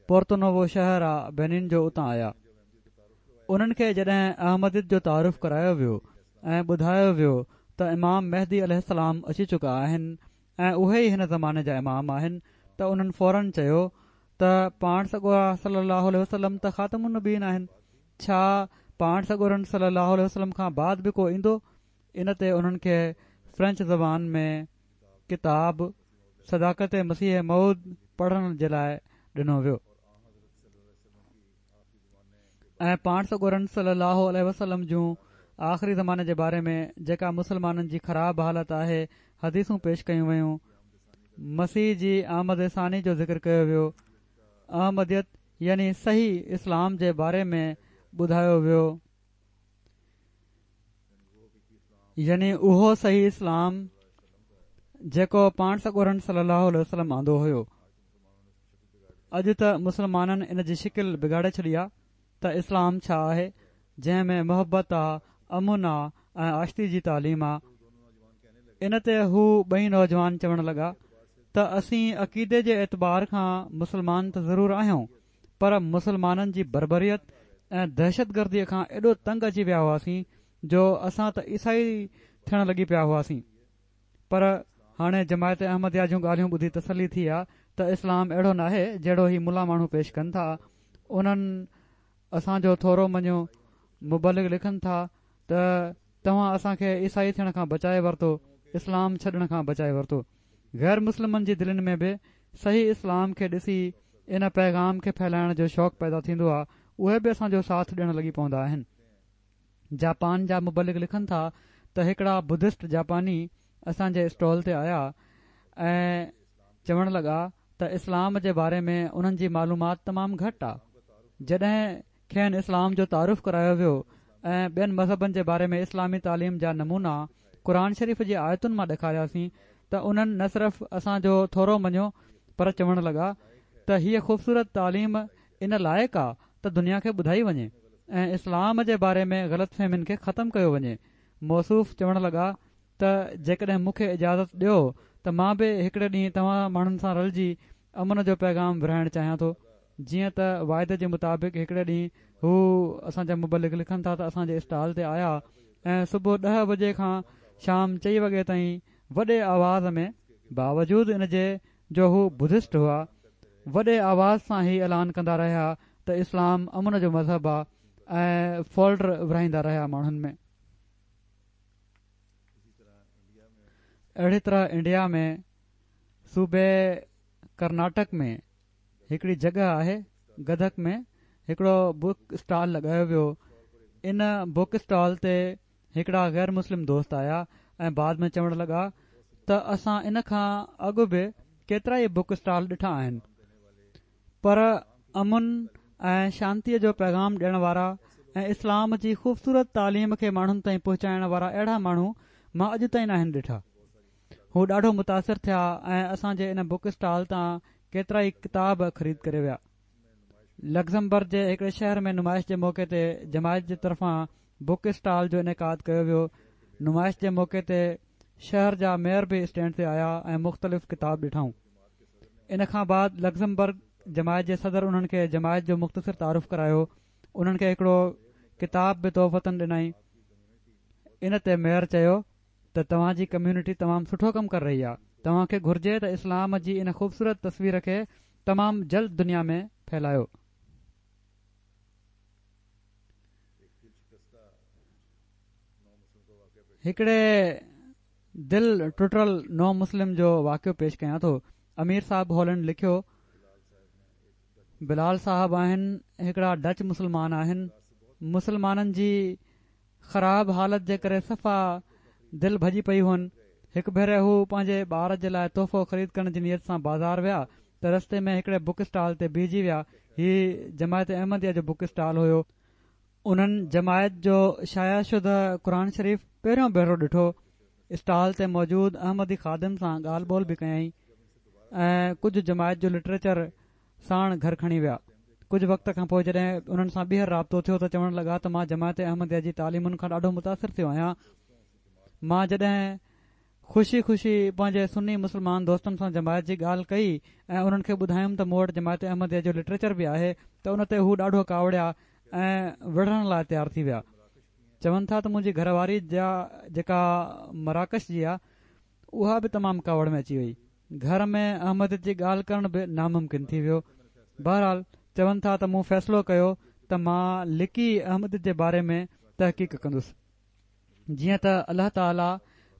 پورتونووو شهر آ بينين جو اتان آيا. انهن کي جڏهن احمديت جو تعارف ڪرايو ويو ۽ ٻڌايو ويو ته امام مهدي عليه السلام اچي چڪا آهن ۽ اهي ئي هن زماني جا امام آهن ته انهن فورن چيو ته پاڻ سڳورا صلي الله عليه وسلم ته خاتم النبيين آهن ڇا پاڻ سڳورن صلي الله عليه وسلم کان بعد به ڪو ايندو؟ ان تي انهن کي فرينچ زبان ۾ ڪتاب صداقت مسيح موعود پڙهڻ جي لاء ڏنو ويو ۽ پاڻ سڳورن صلي الله عليه وسلم جون آخري زماني جي باري ۾ جيڪا مسلمانن جي خراب حالت آهي حديثون پيش ڪيون ويون مسيح جي آمد ثاني جو ذڪر ڪيو ويو احمديت يعني صحيح اسلام جي باري ۾ ٻڌايو ويو يعني اهو صحيح اسلام جيڪو پاڻ سڳورن صلي الله عليه وسلم آندو هيو. اڄ ته مسلمانن ان جي شڪل بگاڙي ڇڏي آ ته اسلام ڇا آهي جنهن ۾ محبت آ، امن آ ۽ آشتي جي تعليم آ. ان تي هو ٻئي نوجوان چوڻ لڳا ته اسين عقيدي جي اعتبار کان مسلمان ته ضرور آهيون پر مسلمانن جي بربريت ۽ دهشتگرديء کان ايڏو تنگ اچي ويا هئاسين جو اسان ته عيسائي ٿيڻ لڳي پيا هئاسين پر هاڻي جماعت احمديه جون ڳالهيون ٻڌي تسلي ٿي آ ته اسلام اهڙو ناهي جهڙو هي ملا ماڻهو پيش ڪن ٿا انهن اسان جو ٿورو مڃيو مبلغ لکن ٿا ته توهان اسان کي عيسائي ٿيڻ کان بچائي ورتو اسلام ڇڏڻ کان بچائي ورتو غير مسلمن جي دلين ۾ به صحيح اسلام کي ڏسي ان پيغام کي ڦهلائڻ جو شوق پيدا ٿيندو آ اهي به اسان جو ساٿ ڏيڻ لڳي پوندا آهن جاپان جا مبلغ لکن ٿا ته هڪڙا بدسٽ جاپاني اسان جي اسٽال تي آيا ۽ چوڻ لڳا ته اسلام جي باري ۾ انهن جي معلومات تمام گهٽ آ جڏهن کين اسلام جو تعارف ڪرايو ويو ۽ ٻين مذهبن جي باري ۾ اسلامي تعليم جا نمونا قرآن شريف جي آيتن مان ڏيکارياسين ته انهن نه صرف اسان جو ٿورو مڃيو پر چوڻ لڳا ته هيء خوبصورت تعليم ان لائق آ ته دنيا کي ٻڌائي وڃي ۽ اسلام جي باري ۾ غلط فهمين کي ختم ڪيو وڃي موصوف چوڻ لڳا ته جيڪڏهن مون کي اجازت ڏيو ته مان به هڪڙي ڏينهن توهان ماڻهن سان رلجي امن جو پيغام ورهائڻ چاهيان ٿو. جيئن ته واعدي جي مطابق هڪڙي ڏينهن هو اسان جا مبلغ لکن ٿا ته اسان جي اسٽال تي آيا ۽ صبح ڏهه بجي کان شام چئين وڳي تائين وڏي آواز ۾ باوجود ان جي جو هو بدسٽ هئا وڏي آواز سان هي اعلان ڪندا رهيا ته اسلام امن جو مذهب آ ۽ فولڊر ورهائيندا رهيا ماڻهن ۾. اهڙي طرح انڊيا ۾ صوبي ڪرناٽڪ ۾ هڪڙي جڳهه آهي گدڪ ۾ هڪڙو بڪ اسٽال لڳايو ويو ان بڪ اسٽال تي هڪڙا غير مسلم دوست آيا ۽ بعد ۾ چوڻ لڳا ته اسان ان کان اڳ به ڪيترائي بڪ اسٽال ڏٺا آهن پر امن ۽ شانتيء جو پيغام ڏيڻ وارا ۽ اسلام جي خوبصورت تعليم کي ماڻهن تائين پهچائڻ وارا اهڙا ماڻهو مان اڄ تائين ناهن ڏٺا. هو ڏاڍو متاثر ٿيا ۽ اسان جي ان بڪ اسٽال تان ڪيترائي ڪتاب خريد ڪري ويا. لگزمبرگ جي هڪڙي شهر ۾ نمائش جي موقعي تي جماعت جي طرفان بڪ اسٽال جو انعقاد ڪيو ويو. نمائش جي موقعي تي شهر جا ميئر به اسٽينڊ تي آيا ۽ مختلف ڪتاب ڏٺائون. ان کان بعد لگزمبرگ جماعت جي صدر انهن کي جماعت جو مختصر تعارف ڪرايو انهن کي هڪڙو ڪتاب به تحفتاً ڏنائين ان تي ميئر چيو ته توهان جي ڪميونٽي تمام سٺو ڪم ڪري رهي آهي توهان کي گهرجي ته اسلام جي ان خوبصورت تصوير کي تمام جلد دنيا ۾ ڦهلايو. هڪڙي دل ٽٽل نو مسلم جو واقعو پيش ڪيان ٿو. امير صاحب هالينڊ لکيو، بلال صاحب آهن هڪڙا ڊچ مسلمان آهن. مسلمانن جي خراب حالت جي ڪري صفا دل ڀڄي پئي هئن. هڪ ڀيري هو پنهنجي ٻار جي لاء تحفو خريد ڪرڻ جي نيت سان بازار ويا ته رستي ۾ هڪڙي بڪ اسٽال تي بيهجي ويا. هي جماعت احمديه جو بڪ اسٽال هيو. انهن جماعت جو شايع شده قرآن شريف پهريون ڀيرو ڏٺو، اسٽال تي موجود احمدي خادم سان ڳالهه ٻولهه به ڪيائين ۽ ڪجهه جماعت جو لٽريچر ساڻ گهر کڻي ويا. ڪجهه وقت کان پوء جڏهن انهن سان ٻيهر رابطو ٿيو ته چوڻ لڳا ته مان جماعت احمديه جي تعليمن کان ڏاڍو متاثر ٿيو آهيان. مان جڏهن خوشي خوشي پنهنجي سني مسلمان دوستن سان جماعت جي ڳالهه ڪئي ۽ انهن کي ٻڌايم ته مون وٽ جماعت احمديه جو لٽريچر به آهي ته ان تي هو ڏاڍو ڪاوڙيا ۽ وڙهڻ لاء تيار ٿي ويا. چون ٿا ته منهنجي گهر واري جا جيڪا مراڪش جي آ اها به تمام ڪاوڙ ۾ اچي وئي. گهر ۾ احمديت جي ڳالهه ڪرڻ به ناممڪن ٿي ويو. بهرحال چون ٿا ته مون فيصلو ڪيو ته مان لڪي احمديت جي باري ۾ تحقيق ڪندس. جيئن ته الله تعاليٰ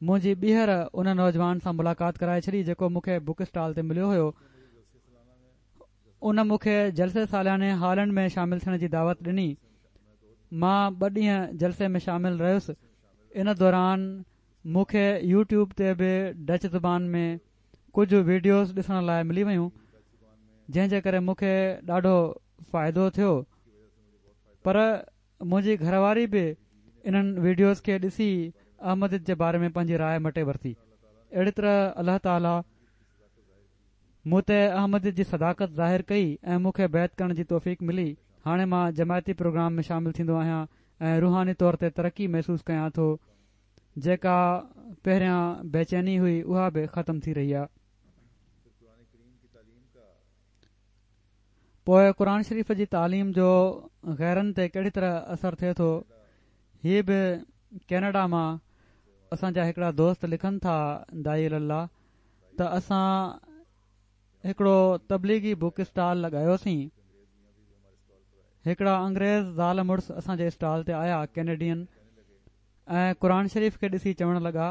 منهنجي ٻيهر ان نوجوان سان ملاقات ڪرائي ڇڏي جيڪو مون کي بڪ اسٽال تي مليو هيو. ان مون کي جلسي سالياني هالينڊ ۾ شامل ٿيڻ جي دعوت ڏني. مان ٻه ڏينهن جلسي ۾ شامل رهيس. ان دوران مون کي يوٽيوب تي به ڊچ زبان ۾ ڪجهه ويڊيوز ڏسڻ لاء ملي ويون جنهن جي ڪري مون کي ڏاڍو فائدو ٿيو پر منهنجي گهر واري به انهن ويڊيوز کي ڏسي احمديت جي باري ۾ پنهنجي راء مٽي ورتي اهڙي طرح الله تعالي مون تي احمديت جي صداقت ظاهر ڪئي ۽ مون کي بيعت ڪرڻ جي توفيق ملي. هاڻي مان جماعتي پروگرام ۾ شامل ٿيندو آهيان ۽ روحاني طور تي ترقي محسوس ڪيان ٿو. جيڪا پهريان بيچيني هئي اها به ختم ٿي رهي آهي. پوء قرآن شريف جي تعليم جو غيرن تي ڪهڙي طرح اثر ٿئي ٿو هي به ڪينيڊا مان اسان جا هڪڙا دوست لکن ٿا داعي الي الله ته اسان هڪڙو تبليغي بڪ اسٽال لڳايوسين هڪڙا انگريز زال مڙس اسان جي اسٽال تي آيا ڪينيڊين ۽ قرآن شريف کي ڏسي چوڻ لڳا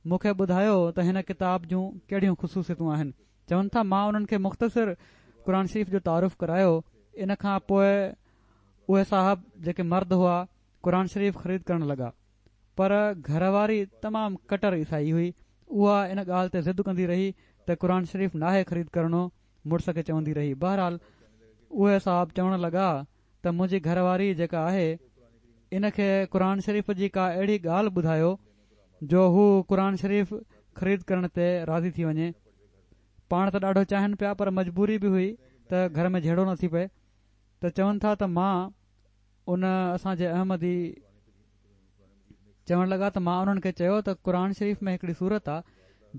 مون کي ٻڌايو ته هن ڪتاب جون ڪهڙيون خصوصيتون آهن چون ٿا مان انهن کي مختصر قرآن شريف جو تعارف ڪرايو ان کان پوء اهي صاحب جيڪي مرد هئا قرآن شريف خريد ڪرڻ لڳا پر گهر واري تمام ڪٽر عيسائي هئي، اها ان ڳالهه تي ضد ڪندي رهي ته قرآن شريف ناهي خريد ڪرڻو، مڙس کي چوندي رهي. بهرحال اهي صاحب چوڻ لڳا ته منهنجي گهر واري جيڪا آهي ان کي قرآن شريف جي ڪا اهڙي ڳالهه ٻڌايو جو هو قرآن شريف خريد ڪرڻ تي راضي ٿي وڃي. پاڻ ته ڏاڍو چاهين پيا پر مجبوري به هئي ته گهر ۾ جهيڙو نه ٿي پئي ته چون ٿا ته مان ان اسان جي احمدي چوڻ لڳا ته مان انهن کي چيو ته قرآن شريف ۾ هڪڙي سورت آ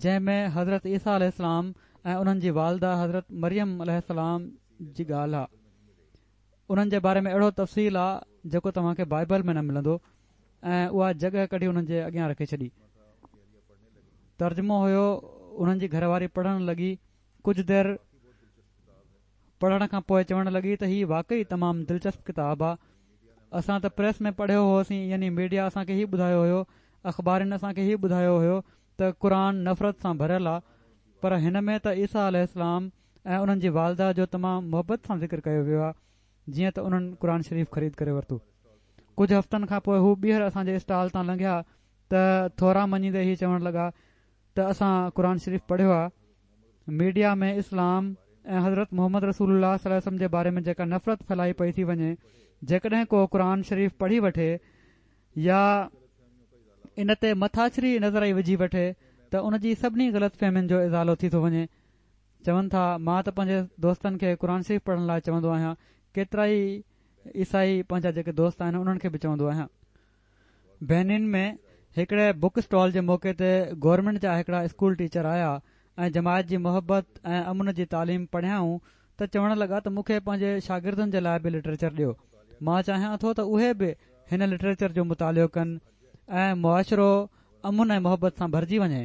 جنهن ۾ حضرت عيسيٰ عليه السلام ۽ انهن جي والده حضرت مريم عليه السلام جي ڳالهه آ انهن جي باري ۾ اهڙو تفصيل آ جيڪو توهان کي بائبل ۾ نه ملندو ۽ اها جڳهه ڪڍي انهن جي اڳيان رکي ڇڏي ترجمو هيو انهن جي گهر واري پڙهڻ لڳي ڪجهه دير پڙهڻ کان پوء چوڻ لڳي ته هي واقعي تمام دلچسپ ڪتاب آ. اسان ته پريس ۾ پڙهيو هوسين يعني ميڊيا اسان کي هي ٻڌايو هيو، اخبارين اسان کي هي ٻڌايو هيو ته قرآن نفرت سان ڀريل آ پر هن ۾ ته عيسيٰ عليه السلام ۽ انهن جي والده جو تمام محبت سان ذڪر ڪيو ويو آ جيئن ته انهن قرآن شريف خريد ڪري ورتو. ڪجهه هفتن کان پوء هو ٻيهر اسان جي اسٽال تان لنگهيا ته ٿورا مڃيندي هي چوڻ لڳا ته اسان قرآن شريف پڙهيو آ، ميڊيا ۾ اسلام ۽ حضرت محمد رسول الله صلي الله عليه وسلم جي باري ۾ جيڪا نفرت ڦهلائي پئي ٿي وڃي، جيڪڏهن ڪو قرآن شريف پڙهي وٺي يا ان تي مٿاڇري نظر ئي وجهي وٺي ته ان جي سڀني غلط فهمين جو ازالو ٿي ٿو وڃي. چون ٿا مان ته پنهنجي دوستن کي قرآن شريف پڙهڻ لاء چوندو آهيان، ڪيترائي عيسائي پنهنجا جيڪي دوست آهن انهن کي به چوندو آهيان. بينين ۾ هڪڙي بڪ اسٽال جي موقعي تي گورنمينٽ جا هڪڙا اسڪول ٽيچر آيا ۽ جماعت جي محبت ۽ امن جي تعليم پڙهيائون ته چوڻ لڳا ته مون کي پنهنجي شاگردن جي لاء به لٽريچر ڏيو مان چاهيان ٿو ته اهي به هن لٽريچر جو مطالعو ڪن ۽ معاشرو امن ۽ محبت سان ڀرجي وڃي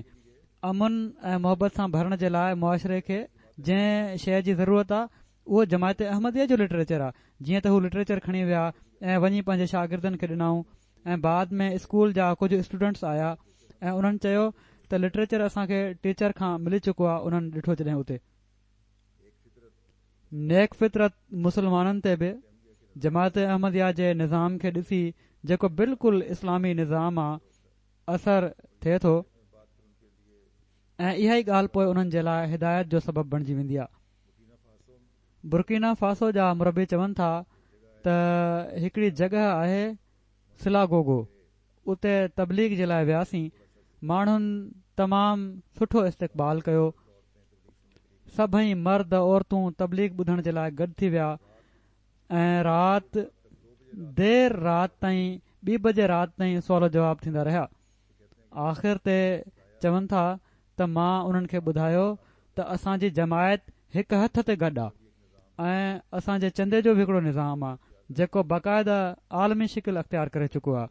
امن ۽ محبت سان ڀرڻ جي لاء معاشري کي جنهن شيء جي ضرورت آ اهو جماعت احمديه جو لٽريچر آ، جيئن ته هو لٽريچر کڻي ويا ۽ وڃي پنهنجي شاگردن کي ڏنائون ۽ بعد ۾ اسڪول جا ڪجهه اسٽوڊنٽس آيا ۽ انهن چيو ته لٽريچر اسان کي ٽيچر کان ملي چڪو آ انهن ڏٺو جڏهن اتي نيڪ فطرت مسلمانن تي به جماعت احمديه جي نظام کي ڏسي جيڪو بلڪل اسلامي نظام آ اثر ٿئي ٿو ۽ اها ئي ڳالهه پوء انهن جي لاء هدايت جو سبب بڻجي ويندي آ. برڪينا فاسو جا مربي چون ٿا ته هڪڙي جڳهه آهي سلاگوگو اتي تبليغ جي لاء وياسين ماڻهن تمام سٺو استقبال ڪيو سڀئي مرد عورتون تبليغ ٻڌڻ جي لاء گڏ ٿي ويا ۽ رات دير رات تائين ٻي بجي رات تائين سوال و جواب ٿيندا رهيا آخر تي چون ٿا ته مان انهن کي ٻڌايو ته اسان جي جماعت هڪ هٿ تي گڏ آ ۽ اسان جي چندي جو به هڪڙو نظام آ جيڪو باقاعده عالمي شڪل اختيار ڪري چڪو آ.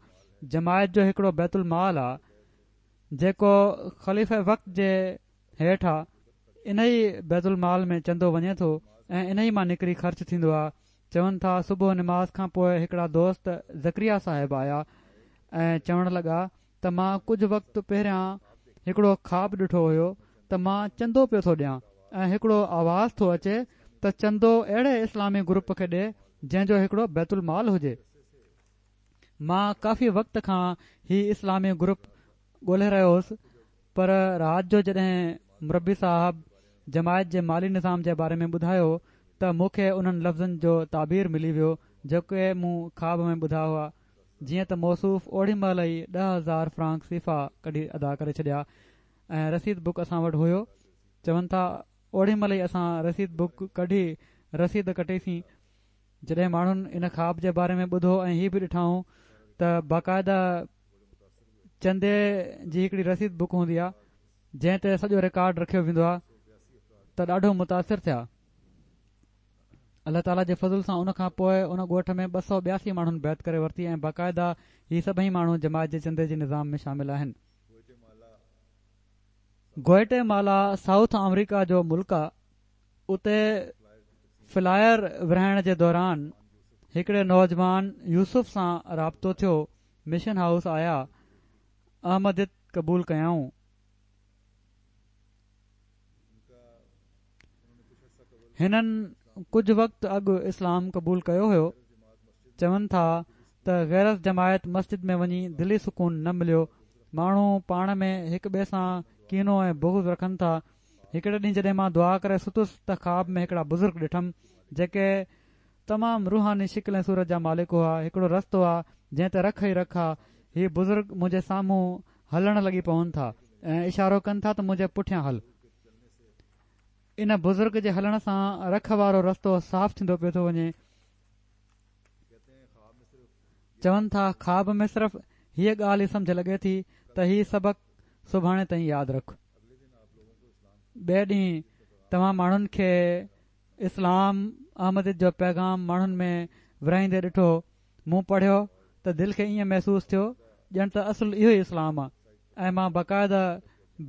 جماعت جو هڪڙو بيت المال آ جيڪو خليفه وقت جي هيٺ آ. انهي بيت المال ۾ چندو وڃي ٿو ۽ انهي مان نڪري خرچ ٿيندو آ. چون ٿا صبح نماز کان پوء هڪڙا دوست زڪريا صاحب آيا ۽ چوڻ لڳا ته مان ڪجهه وقت پهريان هڪڙو خواب ڏٺو هيو ته مان چندو پيو ٿو ڏيان ۽ هڪڙو آواز ٿو اچي ته چندو اهڙي اسلامي گروپ کي ڏي جنهن جو هڪڙو بيت المال هجي. مان ڪافي وقت کان هي اسلامي گروپ ڳولهي رهيو هوس پر رات جو جڏهن مربي صاحب جماعت جي مالي نظام جي باري ۾ ٻڌايو ته مون کي انهن لفظن جو تعبير ملي ويو جيڪي مون خواب ۾ ٻڌا هئا. جيئن ته موصوف اوڏي مهل ئي 10,000 فرانڪ سيفا ڪڍي ادا ڪري ڇڏيا ۽ رسيد بڪ اسان وٽ هيو چون ٿا اوڏي مهل ئي اسان رسيد بڪ ڪڍي رسيد ڪٽيسين جڏهن ماڻهن ان خواب جي باري ۾ ٻڌو ۽ هي به ڏٺائون ته باقاعده چندي جي هڪڙي رسيد بڪ هوندي آهي جنهن تي سڄو رڪارڊ رکيو ويندو آهي ته ڏاڍو متاثر ٿيا. الله تعاليٰ جي فضل سان ان کان پوء ان ڳوٺ ۾ 282 ماڻهن بيعت ڪري ورتي ۽ باقاعده هي سڀئي ماڻهو جماعت جي چندي جي نظام ۾ شامل آهن. گوئٽي مالا سائوٿ آمريڪا جو ملڪ آ اتي فلائر ورهائڻ جي دوران هڪڙي نوجوان يوسف سان رابطو ٿيو مشن هائوس آيا احمديت قبول ڪيائون. هنن ڪجهه وقت اڳ اسلام قبول ڪيو هيو. چون ٿا ته غير از جماعت مسجد ۾ وڃي دلي سڪون نه مليو. ماڻهو پاڻ ۾ هڪ ٻئي سان ڪينو ۽ بغض رکن ٿا. هڪڙي ڏينهن جڏهن مان دعا ڪري ستس ته خواب ۾ هڪڙا بزرگ ڏٺم جيڪي تمام روحاني شڪل ۽ صورت جا مالڪ هئا. هڪڙو رستو آ جنهن تي رک ئي رک آ. هي بزرگ منهنجي سامهون هلڻ لڳي پون ٿا ۽ اشارو ڪن ٿا ته منهنجي پٺيان هل. ان بزرگ جي هلڻ سان رک وارو رستو صاف ٿيندو پيو ٿو وڃي. چون ٿا خواب ۾ صرف هيء ڳالهه ئي سمجهه لڳي ٿي ته هي سبق سڀاڻي تائين ياد رک. ٻئي ڏينهن توهان ماڻهن کي اسلام احمديت جو پيغام ماڻهن ۾ ورهائيندي ڏٺو. مون پڙهيو ته دل کي ائين محسوس ٿيو ڄڻ ته اصل اهو ئي اسلام آ ۽ مان باقاعده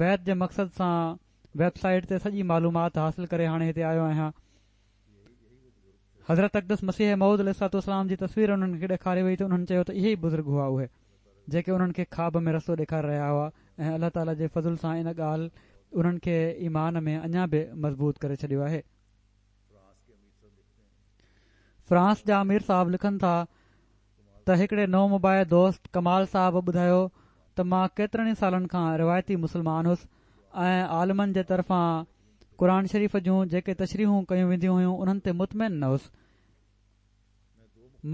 بيعت جي مقصد سان ويب سائيٽ تي سڄي معلومات حاصل ڪري هاڻي هتي آيو آهيان. حضرت اقدس مسيح موعود عليه الصلوة والسلام جي تصوير انهن کي ڏيکاري وئي ته انهن چيو ته اهي ئي بزرگ هئا اهي جيڪي انهن کي خواب ۾ رستو ڏيکاري رهيا هئا ۽ الله تعالي جي فضل سان ان ڳالهه انهن کي ايمان ۾ اڃا به مضبوط ڪري ڇڏيو آهي. فرانس جا امير صاحب لکن ٿا ته هڪڙي نومبائع دوست ڪمال صاحب ٻڌايو ته مان ڪيترن ئي سالن کان روايتي مسلمان هوس ۽ عالمن جي طرفان قرآن شريف جون جيڪي تشريحون ڪيون وينديون هيون انهن تي مطمئن نه هوس.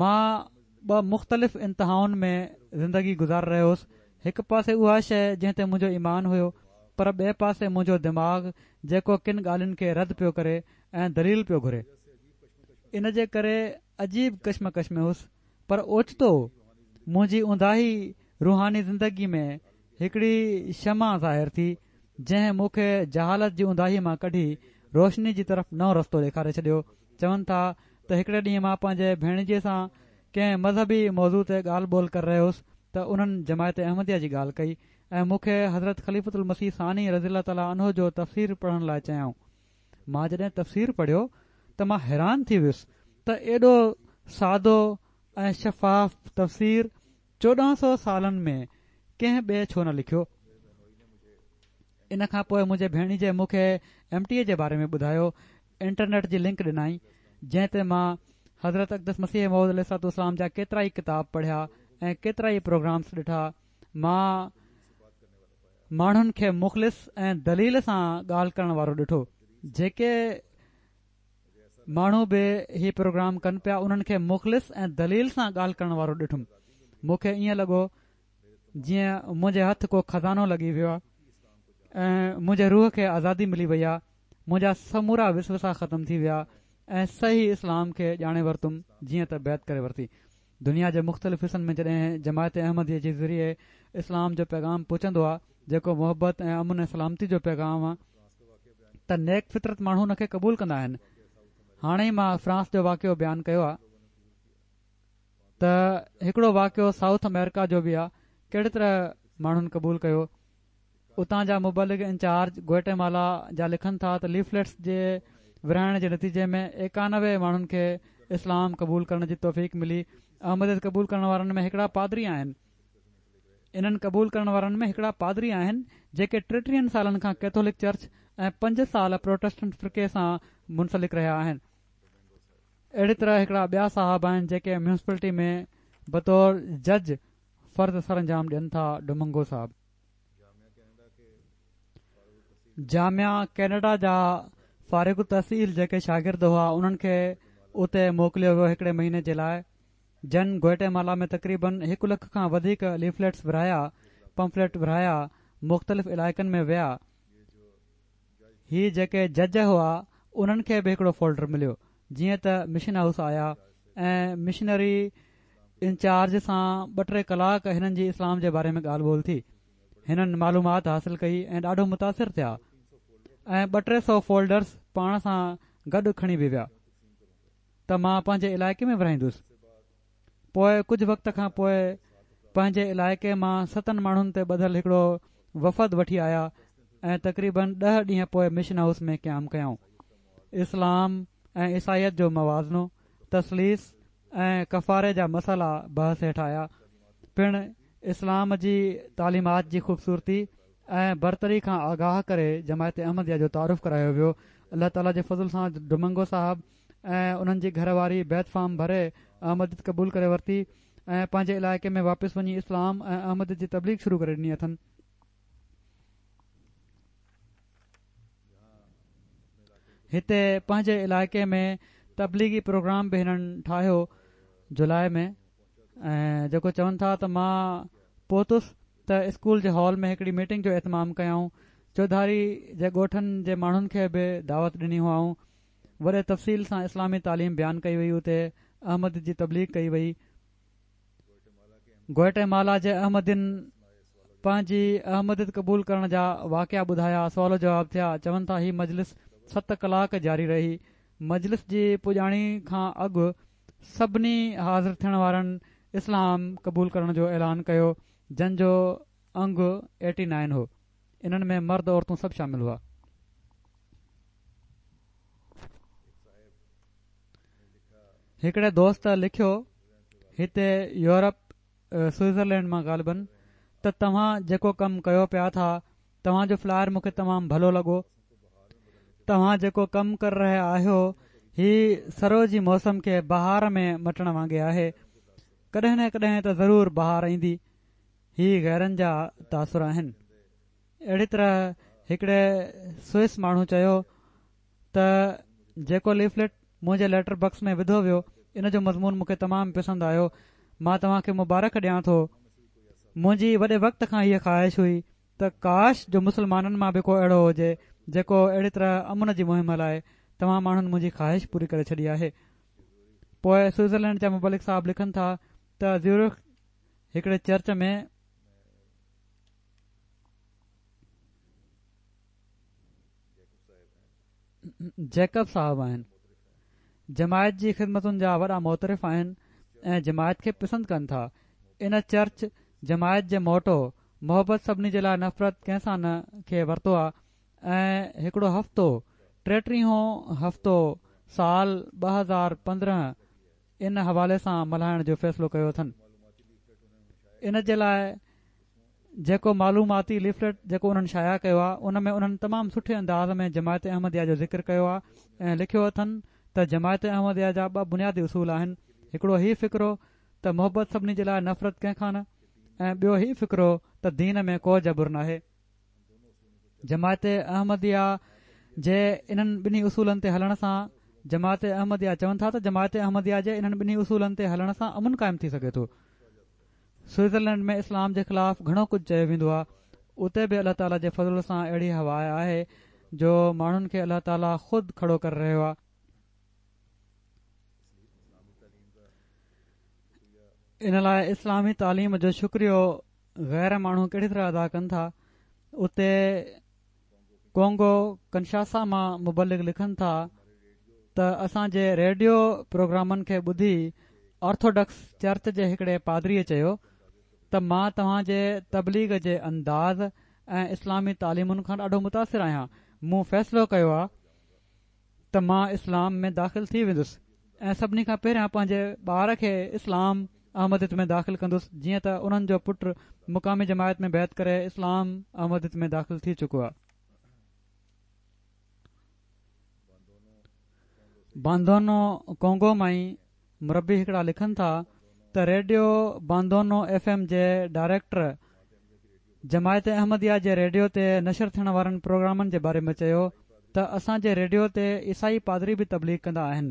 مان ٻه مختلف انتهائن ۾ زندگي گذاري رهيو هوس هڪ پاسي اها شيء جنهن تي منهنجو ايمان هيو پر ٻئي پاسي منهنجو دماغ جيڪو ڪن ڳالهين کي رد پيو ڪري ۽ دليل پيو گهري ان جي ڪري عجيب ڪشمڪش ۾ هوس پر اوچتو منهنجي اونداهي روحاني زندگي ۾ هڪڙي شمع ظاهر ٿي جنهن مون کي جهالت جي اونداهي مان ڪڍي روشني جي طرف نئون رستو ڏيکاري ڇڏيو. چون ٿا ته هڪڙي ڏينهن مان پنهنجي ڀيڻيجي سان ڪنهن مذهبي موضوع تي ڳالهه ٻولهه ڪري رهيو هوس ته انهن جماعت احمديه جي ڳالهه ڪئي ۽ مون کي حضرت خليفة المسيح ثاني رضي الله تعالٰي عنه جو تفسير پڙهڻ لاء چيائون. مان جڏهن تفسير پڙهيو ته مان حيران ٿي ويس ته ايڏو سادو ۽ شفاف تفسير 14 سو سالن ۾ ڪنهن ٻئي ڇو نه لکيو؟ ان کان پوء منهنجي ڀيڻيجي مون کي ايم ٽي اي جي باري ۾ ٻڌايو، انٽرنيٽ جي لنڪ ڏنائين، جنهن تي مان حضرت اقدس مسيح موعود عليه الصلوة والسلام جا ڪيترائي ڪتاب پڙهيا ۽ ڪيترائي پروگرامس ڏٺا. مان ماڻهن کي مخلص ۽ دليل سان ڳالهه ڪرڻ وارو ڏٺو. جيڪي ماڻهو به هي پروگرام ڪن پيا انهن کي مخلص ۽ دليل سان ڳالهه ڪرڻ وارو ڏٺم مون کي ائين لڳو جيئن منهنجي هٿ ڪو خزانو لڳي ويو آهي ۽ منهنجي روح کي آزادي ملي وئي آهي منهنجا سمورا وسوسا ختم ٿي ويا ۽ صحيح اسلام کي ڄاڻي ورتم جيئن ته بيعت ڪري ورتي دنيا جي مختلف حصن ۾ جڏهن جماعت احمديه جي ذريعي اسلام جو پيغام پهچندو آهي جيڪو محبت ۽ امن ۽ سلامتي جو پيغام آهي ته نيڪ فطرت ماڻهو ان کي قبول ڪندا آهن. هاڻي ئي مان فرانس جو واقعو بيان ڪيو آهي. ته هڪڙو واقعو سائوٿ آمريڪا جو به آ ڪهڙي طرح ماڻهن قبول ڪيو. اتان جا مبلغ انچارج گوئٽيمالا جا لکن ٿا ته ليفليٽس جي ورهائڻ جي نتيجي ۾ 91 ماڻهن کي اسلام قبول ڪرڻ جي توفيق ملي. احمديت قبول ڪرڻ وارن ۾ هڪڙا پادري آهن. انهن قبول ڪرڻ وارن ۾ هڪڙا پادري آهن جيڪي ٽيٽيهن سالن کان ڪيٿولڪ چرچ ۽ پنج سال پروٽسٽنٽ فرقي سان منسلڪ رهيا آهن. اهڙي طرح هڪڙا ٻيا صاحب آهن جيڪي ميونسپلٽي ۾ بطور جج فرض سرانجام ڏين ٿا ڊومنگو صاحب. جامعه ڪينيڊا جا فارغ التحصيل جيڪي شاگرد هئا انهن کي اتي موڪليو ويو هڪڙي مهيني جي لاء جن گوئٽيمالا ۾ تقريبن هڪ لک کان وڌيڪ ليفليٽس ورهايا پمفليٽ ورهايا مختلف علائقن ۾ ويا هي جيڪي جج هئا انهن کي به هڪڙو فولڊر مليو جيئن ته مشن هائوس آيا ۽ مشنري انچارج سان ٻه ٽي ڪلاڪ هنن جي اسلام جي باري ۾ ڳالهه ٻولهه ٿي هنن معلومات حاصل ڪئي ۽ ڏاڍو متاثر ٿيا ۽ ٻه ٽي سو فولڊرس پاڻ سان گڏ کڻي به ويا ته مان پنهنجي علائقي ۾ ورهائيندس پوء ڪجهه وقت کان پوء پنهنجي علائقي مان ستن ماڻهن تي ٻڌل هڪڙو وفد وٺي آيا ۽ تقريبن ڏهه ڏينهن پوء مشن هائوس ۾ قيام ڪيائون. اسلام ۽ عيسائيت جو موازنو، تثليث ۽ ڪفاري جا مسئلا بحث هيٺ آيا. پڻ اسلام جي تعليمات جي خوبصورتي ۽ برتري کان آگاهه ڪري جماعت احمديه جو تعارف ڪرايو ويو. الله تعاليٰ جي فضل سان ڊومنگو صاحب ۽ انهن جي گهر واري بيعت فارم ڀري احمديت قبول ڪري ورتي ۽ پنهنجي علائقي ۾ واپس وڃي اسلام ۽ احمديت جي تبليغ شروع ڪري ڏني اٿن. هتي پنهنجي علائقي ۾ تبليغي پروگرام به هنن ٺاهيو جولاء ۾ ۽ جيڪو چون ٿا ته مان پهتس ته اسڪول جي هال ۾ هڪڙي ميٽنگ جو اهتمام ڪيائون چوڌاري جي ڳوٺن جي ماڻهن کي به دعوت ڏني هئائون وڏي تفصيل سان اسلامي تعليم بيان ڪئي وئي اتي احمديت جي تبليغ ڪئي وئي. گوئٽي مالا جي احمدين پنهنجي احمديت قبول ڪرڻ جا واقعا ٻڌايا سوال و جواب ٿيا چون ٿا هي مجلس ست ڪلاڪ جاري رهي مجلس جي پڄاڻي کان اڳ سڀني حاضر ٿيڻ وارن اسلام قبول ڪرڻ جو اعلان ڪيو جن جو انگ ايٽي نائن هو انهن ۾ مرد عورتون سڀ شامل هئا. هڪڙي دوست لکيو هتي يورپ سوئٽزرلينڊ مان غالبن ته توهان جيڪو ڪم ڪيو پيا ٿا توهان جو فلائر مون کي تمام ڀلو لڳو توهان جيڪو ڪم ڪري رهيا آهيو هي سرء جي موسم کي بهار ۾ مٽڻ وانگي آهي ڪڏهن نه ڪڏهن ته ضرور بهار ايندي هي غيرن جا تاثر آهن اهڙي طرح هڪڙي سوئس ماڻهو چيو ته جيڪو ليفليٽ منهنجي ليٽر بڪس ۾ وڌو ويو ان جو مضمون مون کي تمام پسند آيو مان توهان کي مبارڪ ڏيان ٿو منهنجي وڏي وقت کان هيء خواهش هئي ته ڪاش جو مسلمانن مان به ڪو اهڙو هجي جيڪو اهڙي طرح امن جي مهم هلائي توهان ماڻهن منهنجي خواهش پوري ڪري ڇڏي آهي پوء سوئٽزرلينڊ جا مبلغ صاحب لکن ٿا ته زيورخ هڪڙي چرچ ۾ جيڪب صاحب آهن. جماعت جي خدمتن جا وڏا معترف آهن ۽ جماعت کي پسند ڪن ٿا. ان چرچ جماعت جي موٽو محبت سڀني جي لاء نفرت ڪنهن سان نه کي ورتو آ ۽ هڪڙو هفتو ٽيٽيهون هفتو سال 2015 ان حوالي سان ملهائڻ جو فيصلو ڪيو اٿن. ان جي لاء جيڪو معلوماتي ليفليٽ جيڪو انهن شايع ڪيو آهي ان ۾ انهن تمام سٺي انداز ۾ جماعت احمديه جو ذڪر ڪيو آهي ۽ لکيو اٿن ته جماعت احمديه جا ٻه بنيادي اصول آهن هڪڙو هي فقرو ته محبت سڀني جي لاء نفرت ڪنهن کان نه ۽ ٻيو هي فقرو ته دين ۾ ڪو جبر ناهي. جماعت احمديه جي انهن ٻنهي اصولن تي هلڻ سان جماعت احمديه چون ٿا ته جماعت احمديه جي انهن ٻنهي اصولن تي هلڻ سان امن قائم ٿي سگهي ٿو. سوئٽزرلينڊ ۾ اسلام جي خلاف گهڻو ڪجهه چيو ويندو آهي اتي به الله تعالي جي فضل سان اهڙي هوا آهي جو ماڻهن کي الله تعالي خود کڙو ڪري رهيو آهي. ان لاء اسلامي تعليم جو شڪريو غير ماڻهو ڪهڙي طرح ادا ڪن ٿا اتي ڪونگو ڪنشاسا مان مبلغ لکن ٿا ته اسان جي ريڊيو پروگرامن کي ٻڌي آرٿوڊڪس چرچ جي هڪڙي پادريء چيو ته مان توهان جي تبليغ جي انداز ۽ اسلامي تعليمن کان ڏاڍو متاثر آهيان. مون فيصلو ڪيو آ ته مان اسلام ۾ داخل ٿي ويندس ۽ سڀني کان پهريان پنهنجي ٻار کي اسلام احمديت ۾ داخل ڪندس جيئن ته انهن جو پٽ مقامي جماعت ۾ بيعت ڪري اسلام احمديت ۾ داخل ٿي چڪو آ. باندونو ڪونگو مان ئي مربي هڪڙا لکن ٿا ته ريڊيو باندونو ايف ايم جي ڊائريڪٽر جماعت احمديه جي ريڊيو تي نشر ٿيڻ وارن پروگرامن جي باري ۾ چيو ته اسان جي ريڊيو تي عيسائي پادري به تبليغ ڪندا آهن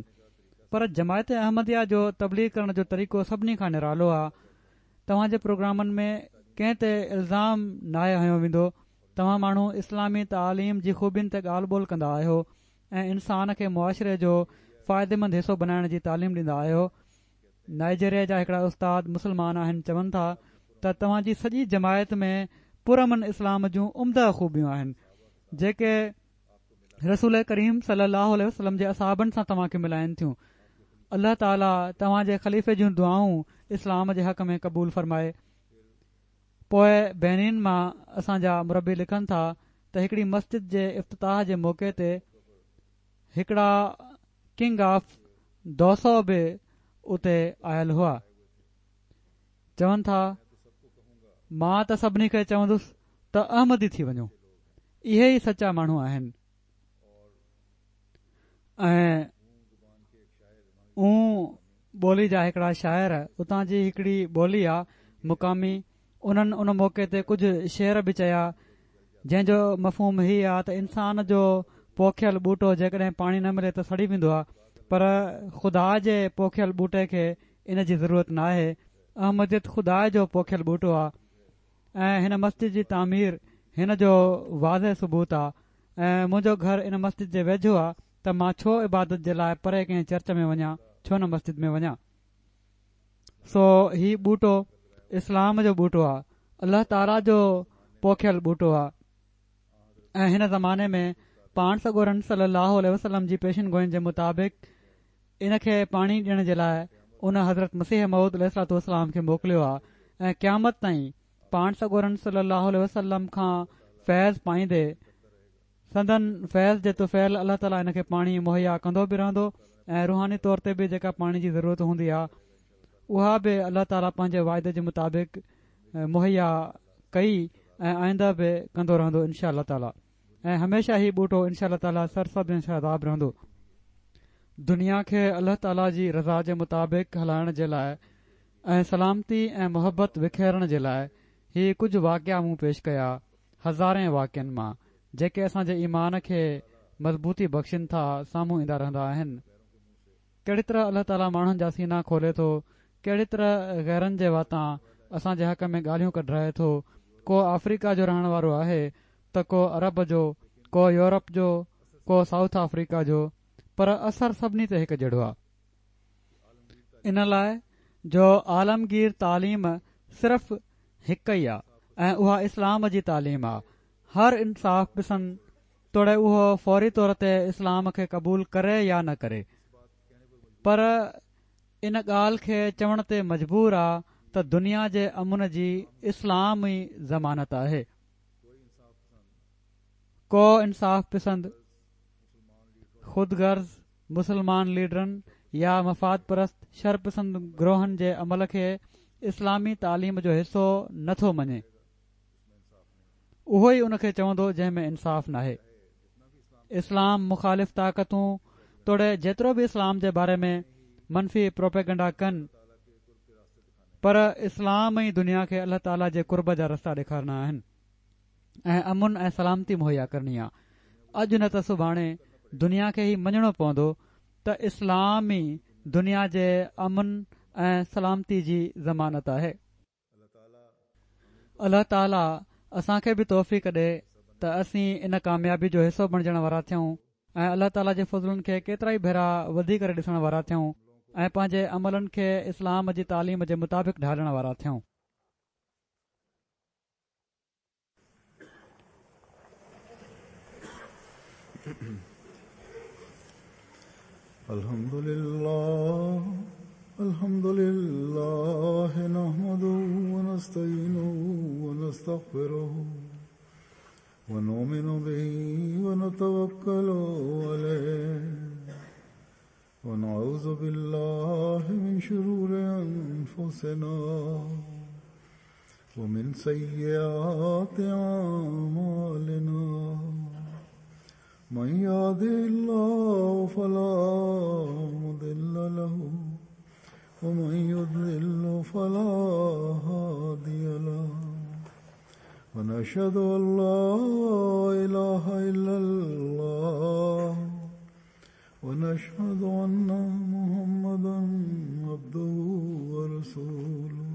پر جماعت احمديه جو تبليغ ڪرڻ جو طريقو سڀني کان نرالو آ توهان جي پروگرامن ۾ ڪنهن تي الزام ناهي هنيو ويندو توهان ماڻهو اسلامي تعاليم جي خوبين تي ڳالهه ٻولهه ڪندا آهيو ۽ انسان کي معاشري جو فائديمند حصو بنائڻ جي تعليم ڏيندا آهيو. نائيجيريا جا هڪڙا استاد مسلمان آهن چون ٿا ته توهان جي سڄي جماعت ۾ پرامن اسلام جون عمده خوبيون آهن جيڪي رسول ڪريم صلي الله عليه وسلم جي اصحابن سان توهان کي ملائن ٿيون. الله تعالي توهان جي خليفي جون دعائون اسلام جي حق ۾ قبول فرمائي. پوء بينين مان اسان جا مربي لکن ٿا ته هڪڙي مسجد جي افتتاح جي موقعي تي هڪڙا ڪنگ آف دوسو به اتي آيل هئا. چون ٿا مان ته سڀني کي چوندس ته احمدي ٿي وڃو. اهي ئي سچا ماڻهو آهن. ۽ اون ٻولي جا هڪڙا شاعر اتان جي هڪڙي ٻولي آ مقامي انهن ان موقعي تي ڪجهه شعر به چيا جنهن جو مفهوم هي آ ته انسان جو پوکيل ٻوٽو جيڪڏهن پاڻي نه ملي ته سڙي ويندو آ پر خدا جي پوکيل ٻوٽي کي ان جي ضرورت ناهي احمديت خدا جو پوکيل ٻوٽو آ ۽ هن مسجد جي تعمير هن جو واضح ثبوت آ ۽ منهنجو گهر ان مسجد جي ويجهو آ ته مان ڇو عبادت جي لاء پري ڪنهن چرچ ۾ وڃان ڇو نه مسجد ۾ وڃان. سو هي ٻوٽو اسلام جو ٻوٽو آ الله تعاليٰ جو پوکيل ٻوٽو آ ۽ هن زماني ۾ پاڻ سڳورن صلي الله عليه وسلم جي پيشن گوئين جي مطابق ان کي پاڻي ڏيڻ جي لاء ان حضرت مسيح موعود عليه الصلوة والسلام کي موڪليو آ ۽ قيامت تائين پاڻ سڳورن صلّي اللّٰه عليه وسلّم کان فيض پائيندي سندن فيض جي طفيل الله تعاليٰ ان کي پاڻي مهيا ڪندو به رهندو ۽ روحاني طور تي به جيڪا پاڻي جي ضرورت هوندي آهي اها به الله تعاليٰ پنهنجي واعدي جي مطابق مهيا ڪئي ۽ آئنده به ڪندو رهندو انشاء الله تعاليٰ ۽ هميشه هي ٻوٽو انشاء الله تعاليٰ سرسبز ۽ شاداب رهندو. دنيا کي الله تعاليٰ جي رضا جي مطابق هلائڻ جي لاء ۽ سلامتي ۽ محبت وکيرڻ جي لاء هي ڪجهه واقعا مون پيش ڪيا، هزارين واقعن مان، جيڪي اسان جي ايمان کي مضبوطي بخشين ٿا، سامهون ايندا رهندا آهن. ڪهڙي طرح الله تعاليٰ ماڻهن جا سينا کولي ٿو، ڪهڙي طرح غيرن جي واتان اسان جي حق ۾ ڳالهيون ڪڍرائي ٿو، ڪو آفريڪا جو رهڻ وارو آهي ته ڪو عرب جو، ڪو يورپ جو، ڪو سائوٿ آفريڪا جو، پر اثر سڀني تي هڪ جهڙو آهي. ان لاء جو عالمگير تعليم صرف هڪ ئي آ ۽ اها اسلام جي تعليم آ. هر انصاف پسند توڙي اهو فوري طور تي اسلام کي قبول ڪري يا نه ڪري پر ان ڳالهه کي چوڻ تي مجبور آ ته دنيا جي امن جي اسلام ئي ضمانت آهي. ڪو انصاف پسند خود غرض مسلمان ليڊرن يا مفاد پرست شرپسند گروهن جي عمل کي اسلامي تعليم جو حصو نه ٿو مڃي. اهو ئي ان کي چوندو جنهن ۾ انصاف ناهي. اسلام مخالف طاقتون توڙي جيترو به اسلام جي باري ۾ منفي پروپيگنڊا ڪن پر اسلام ئي دنيا کي الله تعالي جي قرب جا رستا ڏيکارڻا آهن. ۽ امن ۽ سلامتي مهيا ڪرڻي آ. اڄ نه ته سڀاڻي دنيا کي هي مڃڻو پوندو ته اسلام ئي دنيا جي امن ۽ سلامتي جي ضمانت آهي. الله تعالي اسان کي به توفيق ڏي ته اسين ان ڪاميابي جو حصو بڻجڻ وارا ٿيون ۽ الله تعالي جي فضلن کي ڪيترائي ڀيرا وڌي ڪري ڏسڻ وارا ٿيون ۽ پنهنجي عملن کي اسلام جي تعليم جي مطابق ڍالڻ وارا ٿيون. الحمد لله الحمد لله. ونستغفره ونؤمن به ونتوكل عليه ونعوذ بالله من شرور أنفسنا ومن سيئات أعمالنا من يهده الله فلا مضل له ومن يضلل فلا هادي له ونشهد أن لا إله إلا الله ونشهد أن محمدا عبده ورسوله.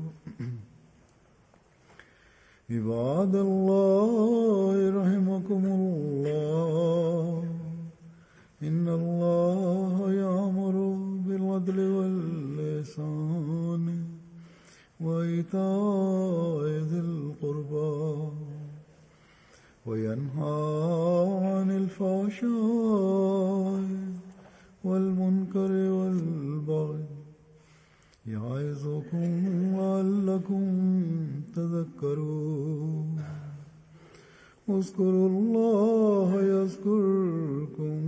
عباد الله رحمكم الله، إن الله يأمر بالعدل والإحسان وإيتاء ذي القربى وينهى عن الفحشاء والمنكر والبغي يعظكم لعلكم تذكرون. اذكروا الله يذكركم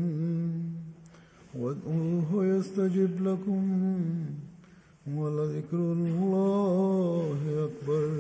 وادعوه يستجب لكم ولذكر الله أكبر.